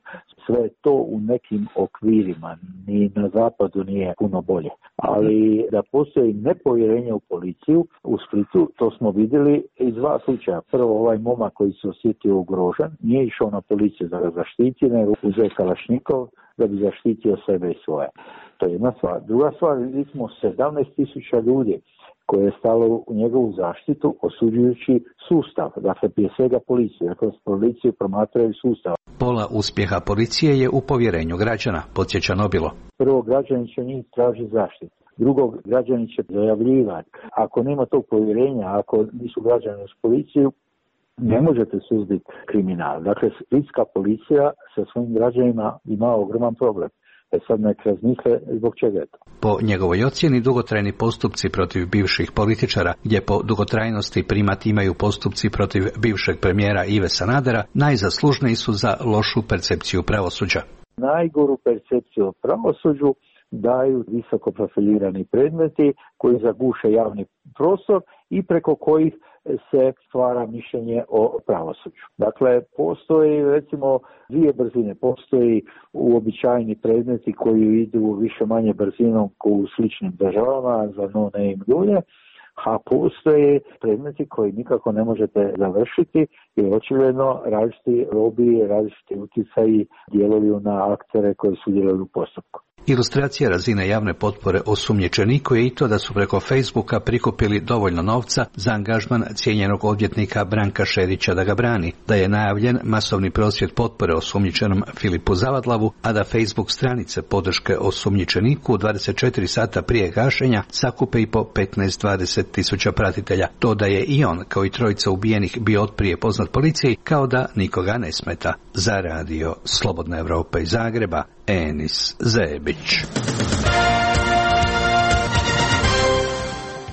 Sve je to u nekim okvirima, ni na zapadu nije puno bolje. Ali da postoji nepovjerenje u policiju u Splitu, to smo vidjeli iz dva slučaja. Prvo, ovaj momak koji se osjetio ugrožen, nije išao na policiju da ga zaštiti, nego uzeo Kalašnjikov da bi zaštitio sebe i svoje. To je jedna stvar. Druga stvar, vidjeli smo 17.000 ljudi koje je stalo u njegovu zaštitu osuđujući sustav, dakle prije svega policiju, dakle policiju promatraju sustav. Pola uspjeha policije je u povjerenju građana, podsjeća Nobilo. Prvo, građani će njih tražiti zaštitu. Drugo, građani će zajavljivati. Ako nema tog povjerenja, ako nisu građani uz policiju, ne možete suzbiti kriminal. Dakle, splitska policija sa svojim građanima ima ogroman problem. Sad nek razmisle zbog čega je to. Po njegovoj ocjeni, dugotrajni postupci protiv bivših političara, gdje po dugotrajnosti primat imaju postupci protiv bivšeg premijera Ive Sanadera, najzaslužniji su za lošu percepciju pravosuđa. Najgoru percepciju o pravosuđu daju visoko profilirani predmeti koji zaguše javni prostor i preko kojih se stvara mišljenje o pravosuđu. Dakle, postoji recimo dvije brzine. Postoji uobičajeni predmeti koji idu više manje brzinom u sličnim državama za no name ljude, a postoje predmeti koji nikako ne možete završiti jer očigledno različiti lobiji, različiti utjecaji djeluju na aktere koji su djelovali u postupku. Ilustracija razine javne potpore osumnjičeniku je i to da su preko Facebooka prikupili dovoljno novca za angažman cijenjenog odvjetnika Branka Šerića da ga brani, da je najavljen masovni prosvjed potpore osumnjičenom Filipu Zavadlavu, a da Facebook stranice podrške osumnjičeniku 24 sata prije gašenja sakupe i po 15-20 tisuća pratitelja. To da je i on, kao i trojica ubijenih, bio otprije poznat policiji, kao da nikoga ne smeta. Za radio Slobodna Evropa iz Zagreba, Enis Zebić.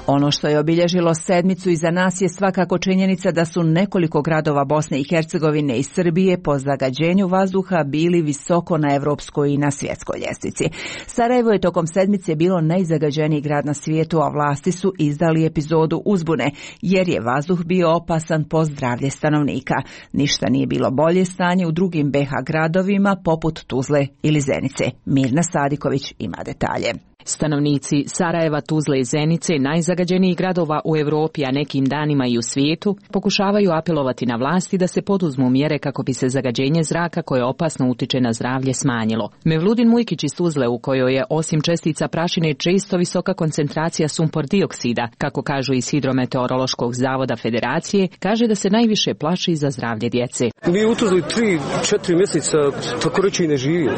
Ono što je obilježilo sedmicu iza nas je svakako činjenica da su nekoliko gradova Bosne i Hercegovine i Srbije po zagađenju vazduha bili visoko na evropskoj i na svjetskoj ljestvici. Sarajevo je tokom sedmice bilo najzagađeniji grad na svijetu, a vlasti su izdali epizodu uzbune, jer je vazduh bio opasan po zdravlje stanovnika. Ništa nije bilo bolje stanje u drugim BiH gradovima poput Tuzle ili Zenice. Mirna Sadiković ima detalje. Stanovnici Sarajeva, Tuzle i Zenice, najzagađenijih gradova u Europi, a nekim danima i u svijetu, pokušavaju apelovati na vlasti da se poduzmu mjere kako bi se zagađenje zraka koje opasno utiče na zdravlje smanjilo. Mevludin Mujkić iz Tuzle, u kojoj je osim čestica prašine često visoka koncentracija sumpor dioksida, kako kažu iz Hidrometeorološkog zavoda Federacije, kaže da se najviše plaši za zdravlje djece. Mi u Tuzli 3-4 mjeseca tako reći ne živimo.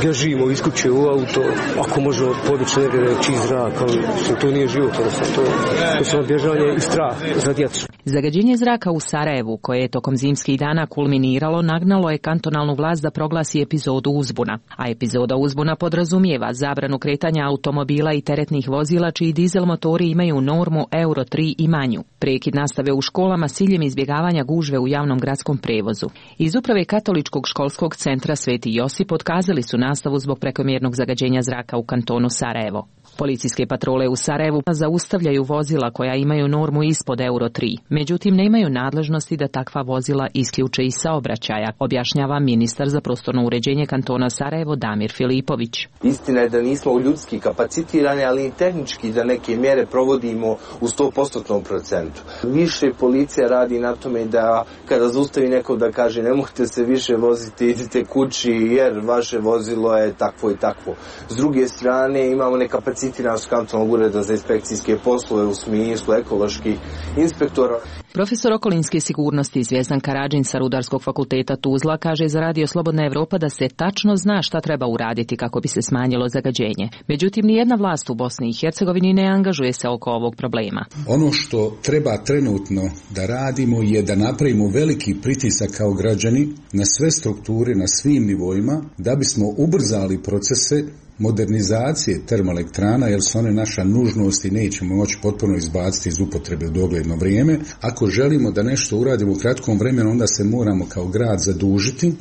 Ja živimo iz kuće u auto, ako možemo podići negdje čist zrak, ali to nije život, to je samo bježanje i strah za djecu. Zagađenje zraka u Sarajevu, koje je tokom zimskih dana kulminiralo, nagnalo je kantonalnu vlast da proglasi epizodu uzbuna. A epizoda uzbuna podrazumijeva zabranu kretanja automobila i teretnih vozila čiji dizel motori imaju normu Euro 3 i manju. Prekid nastave u školama s ciljem izbjegavanja gužve u javnom gradskom prevozu. Iz uprave Katoličkog školskog centra Sveti Josip otkazali su nastavu zbog prekomjernog zagađenja zraka u kantonu Sarajevo. Policijske patrole u Sarajevu zaustavljaju vozila koja imaju normu ispod Euro 3, međutim nemaju nadležnosti da takva vozila isključe iz saobraćaja, objašnjava ministar za prostorno uređenje kantona Sarajevo Damir Filipović. Istina je da nismo ljudski kapacitirani, ali i tehnički da neke mjere provodimo u 100% procentu. Više policija radi na tome da kada zaustavi neko da kaže ne možete se više voziti, idite kući jer vaše vozilo je takvo i takvo. S druge strane imamo nekapacitiranost kantonalnog ureda za inspekcijske poslove u smislu ekoloških inspektora. Profesor okolinske sigurnosti Zvjezdan Karadžin sa Rudarskog fakulteta Tuzla kaže za radio Slobodna Evropa da se tačno zna šta treba uraditi kako bi se smanjilo zagađenje. Međutim, nijedna vlast u Bosni i Hercegovini ne angažuje se oko ovog problema. Ono što treba trenutno da radimo je da napravimo veliki pritisak kao građani na sve strukture, na svim nivoima, da bismo ubrzali procese modernizacije termoelektrana, jer su one naša nužnost i nećemo moći potpuno izbaciti iz upotrebe u dogledno vrijeme. Ako želimo da nešto uradimo u kratkom vremenu, onda se moramo kao grad zadužiti,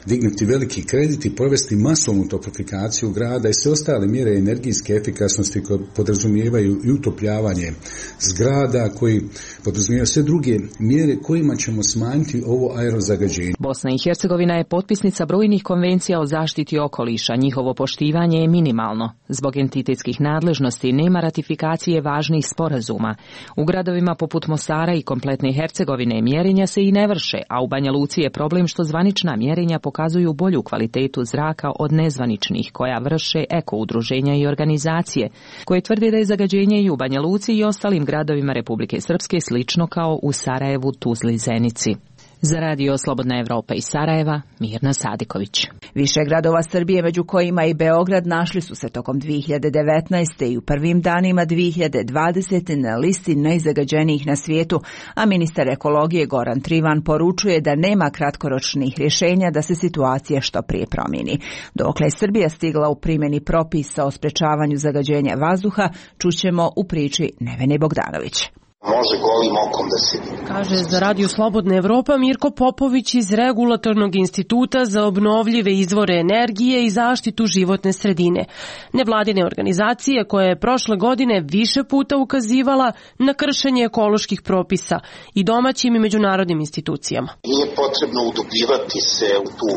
dignuti veliki kredit i provesti masovnu toplifikaciju grada i sve ostale mjere energijske efikasnosti koje podrazumijevaju i utopljavanje zgrada, koji podrazumijevaju sve druge mjere kojima ćemo smanjiti ovo aerozagađenje. Bosna i Hercegovina je potpisnica brojnih konvencija o zaštiti okoliša. Njihovo poštivanje je minimalno. Zbog entitetskih nadležnosti nema ratifikacije važnih sporazuma. U gradovima poput Mostara i kompletne Hercegovine mjerenja se i ne vrše, a u Banja Luci je problem što zvanična mjerenja pokazuju bolju kvalitetu zraka od nezvaničnih koja vrše eko-udruženja i organizacije, koje tvrde da je zagađenje i u Banja Luci i ostalim gradovima Republike Srpske slično kao u Sarajevu, Tuzli, Zenici. Za Radio Slobodna Evropa iz Sarajeva, Mirna Sadiković. Više gradova Srbije, među kojima i Beograd, našli su se tokom 2019. i u prvim danima 2020. na listi najzagađenijih na svijetu, a ministar ekologije Goran Trivan poručuje da nema kratkoročnih rješenja da se situacija što prije promijeni. Dokle je Srbija stigla u primjeni propisa o sprečavanju zagađenja vazduha, čućemo u priči Nevene Bogdanović. Može golim okom da se vidi. Kaže za Radio Slobodna Evropa Mirko Popović iz Regulatornog instituta za obnovljive izvore energije i zaštitu životne sredine. Nevladine organizacije koja je prošle godine više puta ukazivala na kršenje ekoloških propisa i domaćim i međunarodnim institucijama. Nije potrebno udubljivati se u tu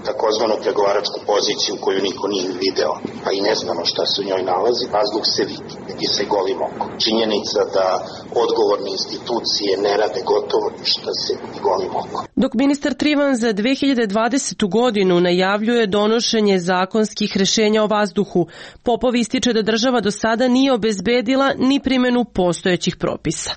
takozvanu pregovaračku poziciju koju niko nije video, pa i ne znamo šta se u njoj nalazi, vazduh se vidi se golim okom. Činjenica da odgovorne institucije ne rade gotovo ništa se vidi golim okom. Dok ministar Trivan za 2020. godinu najavljuje donošenje zakonskih rješenja o vazduhu, Popov ističe da država do sada nije obezbedila ni primjenu postojećih propisa.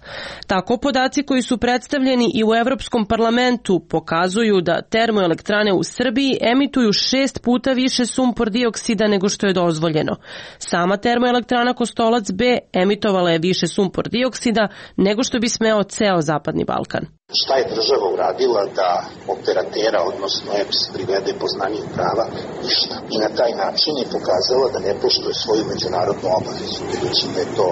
Tako podaci koji su predstavljeni i u Evropskom parlamentu pokazuju da termoelektrane u Srbiji emituju 6 puta više sumpor dioksida nego što je dozvoljeno. Sama termoelektrana Kostolac B emitovala je više sumpor dioksida nego što bi smeo ceo Zapadni Balkan. Šta je država uradila da operatera, odnosno EPS, privede poznaniju prava? Ništa. I na taj način je pokazala da ne poštuje svoju međunarodnu obavezu, budući da je to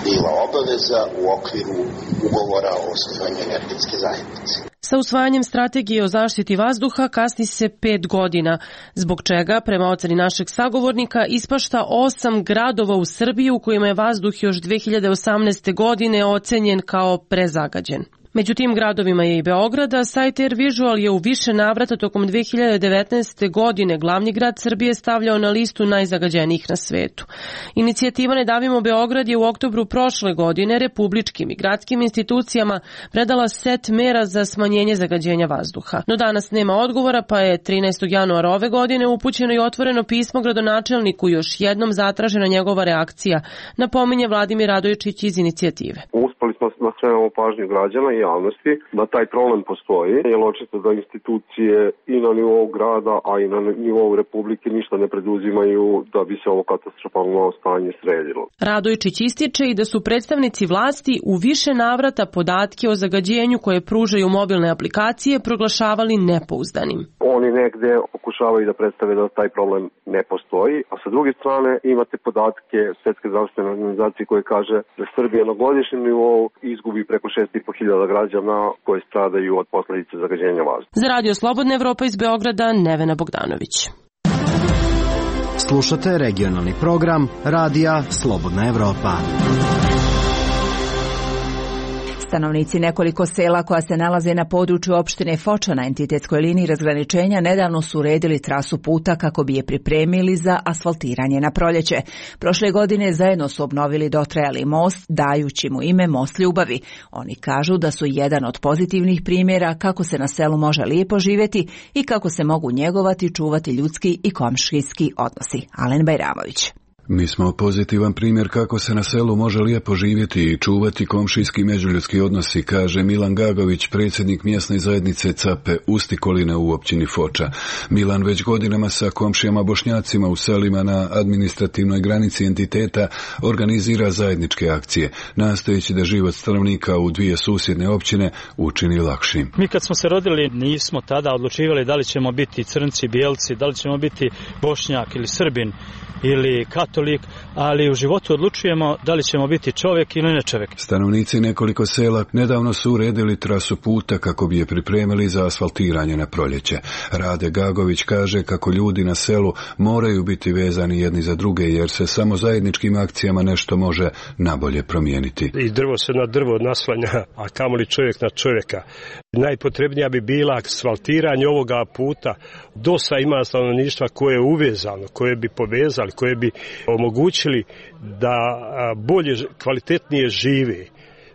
bila obaveza u okviru ugovora o osnivanju energetske zajednice. Sa usvajanjem strategije o zaštiti vazduha kasni se 5 godina, zbog čega, prema oceni našeg sagovornika, ispašta 8 gradova u Srbiji u kojima je vazduh još 2018. godine ocenjen kao prezagađen. Među tim gradovima je i Beograd, a sajt Air Visual je u više navrata tokom 2019. godine glavni grad Srbije stavljao na listu najzagađenijih na svetu. Inicijativa Ne davimo Beograd je u oktobru prošle godine republičkim i gradskim institucijama predala set mera za smanjenje zagađenja vazduha. No danas nema odgovora, pa je 13. januara ove godine upućeno i otvoreno pismo gradonačelniku, još jednom zatražena njegova reakcija, napominje Vladimir Radojičić iz inicijative. Uspeli smo da skrenemo pažnju građana i javnosti da taj problem postoji, jer očito da institucije i na nivou grada, a i na nivou Republike ništa ne preduzimaju da bi se ovo katastrofalno stanje sredilo. Radojičić ističe i da su predstavnici vlasti u više navrata podatke o zagađenju koje pružaju mobilne aplikacije proglašavali nepouzdanim. Oni negde pokušavaju da predstave da taj problem ne postoji, a sa druge strane imate podatke Svetske zdravstvene organizacije koje kaže da Srbija na godišnjem nivou izgubi preko 6.500 građana koji stradaju od posljedice zagađenja vazduha. Za Radio Slobodna Evropa iz Beograda, Nevena Bogdanović. Slušate regionalni program Radija Slobodna Evropa. Stanovnici nekoliko sela koja se nalaze na području opštine Foča na entitetskoj liniji razgraničenja nedavno su uredili trasu puta kako bi je pripremili za asfaltiranje na proljeće. Prošle godine zajedno su obnovili dotrajali most, dajući mu ime Most ljubavi. Oni kažu da su jedan od pozitivnih primjera kako se na selu može lijepo živjeti i kako se mogu njegovati, čuvati ljudski i komšijski odnosi. Alen Bajramović. Mi smo pozitivan primjer kako se na selu može lijepo živjeti i čuvati komšijski međuljudski odnosi, kaže Milan Gagović, predsjednik mjesne zajednice Cape Ustikoline u općini Foča. Milan već godinama sa komšijama Bošnjacima u selima na administrativnoj granici entiteta organizira zajedničke akcije, nastojeći da život stanovnika u dvije susjedne općine učini lakšim. Mi kad smo se rodili nismo tada odlučivali da li ćemo biti crnci, bijelci, da li ćemo biti Bošnjak ili Srbin ili katolik, ali u životu odlučujemo da li ćemo biti čovjek ili ne čovjek. Stanovnici nekoliko sela nedavno su uredili trasu puta kako bi je pripremili za asfaltiranje na proljeće. Rade Gagović kaže kako ljudi na selu moraju biti vezani jedni za druge, jer se samo zajedničkim akcijama nešto može nabolje promijeniti. I drvo se na drvo naslanja, a kamoli čovjek na čovjeka. Najpotrebnija bi bila asfaltiranje ovoga puta. Dosta ima stanovništva koje je uvezano, koje bi povezali, koje bi omogućili da bolje, kvalitetnije žive,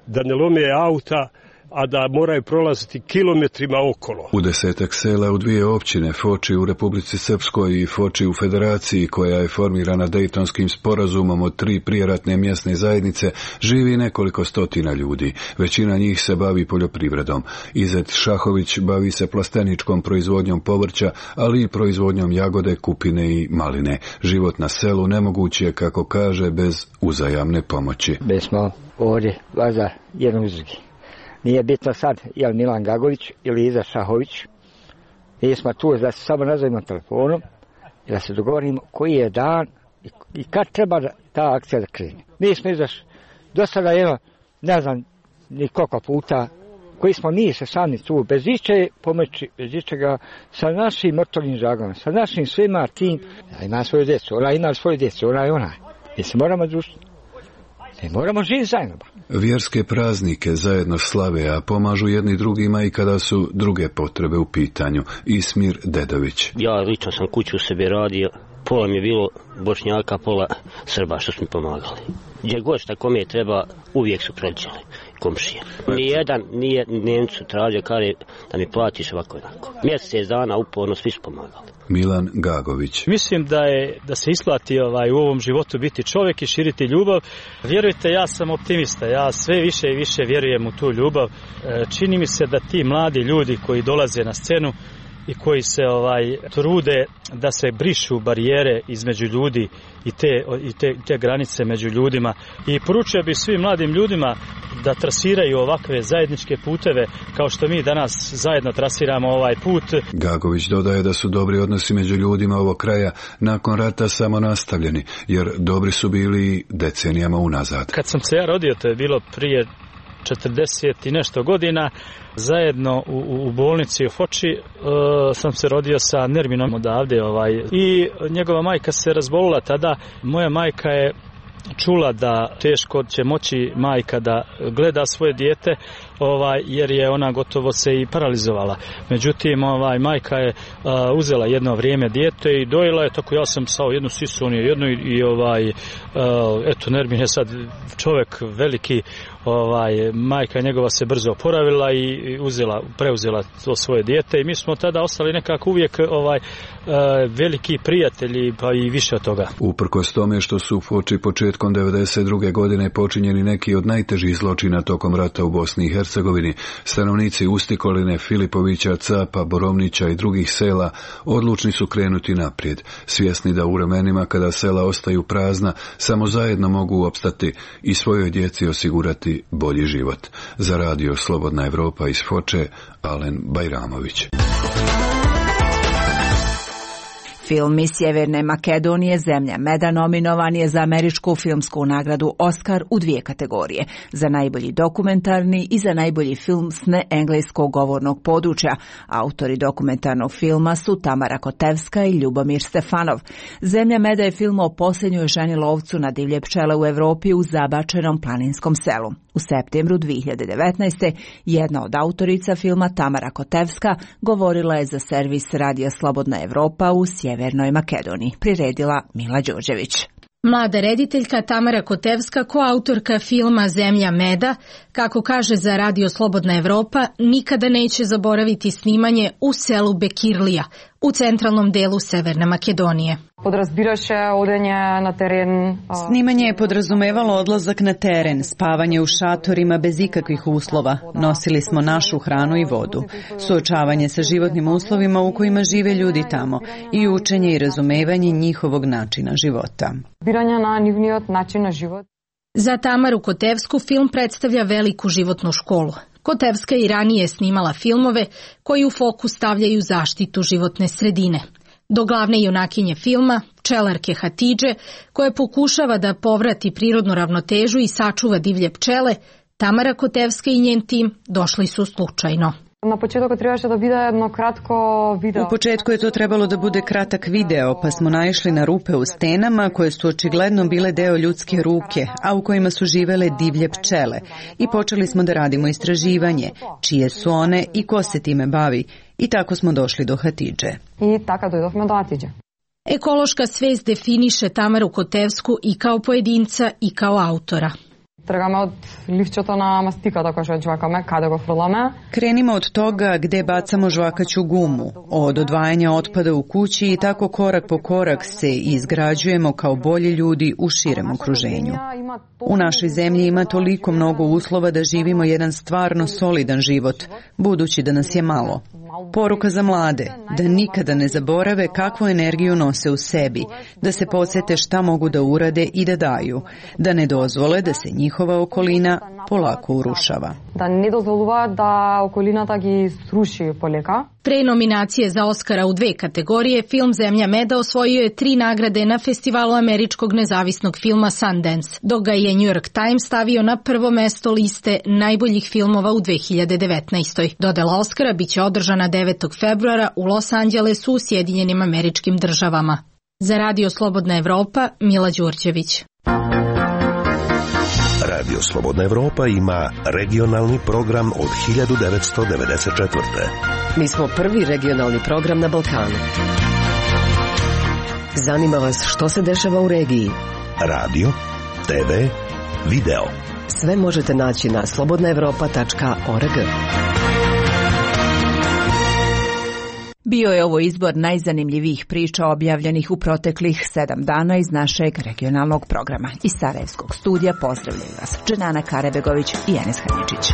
da ne lome auta, a da moraju prolaziti kilometrima okolo. U 10 sela u 2 općine, Foči u Republici Srpskoj i Foči u Federaciji, koja je formirana Dejtonskim sporazumom od 3 prijeratne mjesne zajednice, živi nekoliko stotina ljudi. Većina njih se bavi poljoprivredom. Izet Šahović bavi se plasteničkom proizvodnjom povrća, ali i proizvodnjom jagode, kupine i maline. Život na selu nemoguć je, kako kaže, bez uzajamne pomoći. Bez smo ovdje vaza jednog uz drugi. Nije bitno sad je li Milan Gagović ili Iza Šahović. Mi smo tu da se samo nazovimo telefonom i da se dogovorimo koji je dan i kad treba ta akcija da krene. Mi smo izašli do sada ne znam ni koliko puta, koji smo mi se sami tu, bez iče pomoći, bez ičega, sa našim motornim žagama, sa našim svima tim. Ja ima svoju djecu, ona ima svoju djecu, ona je ona. Mi se moramo družiti. Ne moramo živjeti zajedno. Vjerske praznike zajedno slave, a pomažu jedni drugima i kada su druge potrebe u pitanju. Ismir Dedović. Ja lično sam kuću u sebi radio, pola mi je bilo Bošnjaka, pola Srba što su mi pomagali. Gdje god šta kome treba, uvijek su prođeli komšije. Nijedan nije Nemcu tražio kare da mi platiš ovako jednako. Mjesec dana uporno svi su pomagali. Milan Gagović. Mislim da se isplati u ovom životu biti čovjek i širiti ljubav. Vjerujte, ja sam optimista, ja sve više i više vjerujem u tu ljubav. Čini mi se da ti mladi ljudi koji dolaze na scenu i koji se trude da se brišu barijere između ljudi i te granice među ljudima. I poručio bih svim mladim ljudima da trasiraju ovakve zajedničke puteve kao što mi danas zajedno trasiramo ovaj put. Gagović dodaje da su dobri odnosi među ljudima ovog kraja nakon rata samo nastavljeni, jer dobri su bili decenijama unazad. Kad sam se ja rodio, to je bilo prije 40 i nešto godina, zajedno u bolnici u Foči sam se rodio sa Nerminom odavde i njegova majka se razbolila tada. Moja majka je čula da teško će moći majka da gleda svoje dijete, jer je ona gotovo se i paralizovala. Međutim, majka je uzela jedno vrijeme dijete i dojela je, tako ja sam sao jednu sisu, on je jednu i eto, Nermin je sad čovjek veliki, majka njegova se brzo oporavila i preuzela to svoje dijete i mi smo tada ostali nekako uvijek veliki prijatelji, pa i više od toga. Uprkos tome što su u Foči početkom 1992. godine počinjeni neki od najtežih zločina tokom rata u Bosni i Hercegovini, stanovnici Usticoline, Filipovića, Capa, Borovnića i drugih sela odlučni su krenuti naprijed, svjesni da u vremenima kada sela ostaju prazna, samo zajedno mogu opstati i svojoj djeci osigurati bolji život. Za radio Slobodna Evropa iz Foče, Alen Bajramović. Film iz Sjeverne Makedonije Zemlja meda nominovan je za američku filmsku nagradu Oscar u 2 kategorije, za najbolji dokumentarni i za najbolji film s neengleskog govornog područja. Autori dokumentarnog filma su Tamara Kotevska i Ljubomir Stefanov. Zemlja meda je film o posljednjoj ženi lovcu na divlje pčele u Evropi u zabačenom planinskom selu. U septembru 2019. jedna od autorica filma, Tamara Kotevska, govorila je za servis Radija Slobodna Evropa u Sjevernoj Makedoniji. Priredila Mila Đorđević. Mlada rediteljka Tamara Kotevska, koautorka filma Zemlja meda, kako kaže za Radio Slobodna Evropa, nikada neće zaboraviti snimanje u selu Bekirlija, u centralnom delu Severne Makedonije. Snimanje je podrazumevalo odlazak na teren, spavanje u šatorima bez ikakvih uslova. Nosili smo našu hranu i vodu. Suočavanje sa životnim uslovima u kojima žive ljudi tamo i učenje i razumevanje njihovog načina života. Za Tamaru Kotevsku film predstavlja veliku životnu školu. Kotevska i ranije snimala filmove koji u fokus stavljaju zaštitu životne sredine. Do glavne junakinje filma, pčelarke Hatidže, koja pokušava da povrati prirodnu ravnotežu i sačuva divlje pčele, Tamara Kotevska i njen tim došli su slučajno. Na početku trebаше da bude jedno kratko video. U početku je to trebalo da bude kratak video, pa smo naišli na rupe u stenama koje su očigledno bile deo ljudske ruke, a u kojima su živele divlje pčele. I počeli smo da radimo istraživanje, čije su one i ko se time bavi. I tako smo došli do Hatidže. I tako dojdofme do Hatidže. Ekološka svest definiše Tamaru Kotevsku i kao pojedinca i kao autora. Тргаме од ливчето на мастиката која што жвакаме, каде го фрламе. Krenimo od toga gde bacamo žvakaću gumu, od odvajanja otpada u kući i tako korak po korak se izgrađujemo kao bolji ljudi u širem okruženju. U našoj zemlji ima toliko mnogo uslova da živimo jedan stvarno solidan život, budući da nas je malo. Poruka za mlade, da nikada ne zaborave kakvu energiju nose u sebi, da se podsete šta mogu da urade i da daju, da ne dozvole da se njihova okolina polako urušava. Da ne dozvolуваат da околината ги сруши полека. Pre nominacije za Oskara u 2 kategorije, film Zemlja meda osvojio je 3 nagrade na festivalu američkog nezavisnog filma Sundance, dok ga je New York Times stavio na prvo mesto liste najboljih filmova u 2019. Dodela Oskara biće održana 9. februara u Los Angelesu u Sjedinjenim Američkim Državama. Za Radio Slobodna Evropa, Mila Đurđević. Radio Slobodna Evropa ima regionalni program od 1994. Mi smo prvi regionalni program na Balkanu. Zanima vas što se dešava u regiji? Radio, TV, video. Sve možete naći na slobodnaevropa.org. Bio je ovo izbor najzanimljivijih priča objavljenih u proteklih 7 dana iz našeg regionalnog programa. Iz Sarajevskog studija pozdravljaju vas Dženana Karebegović i Enes Hadžić.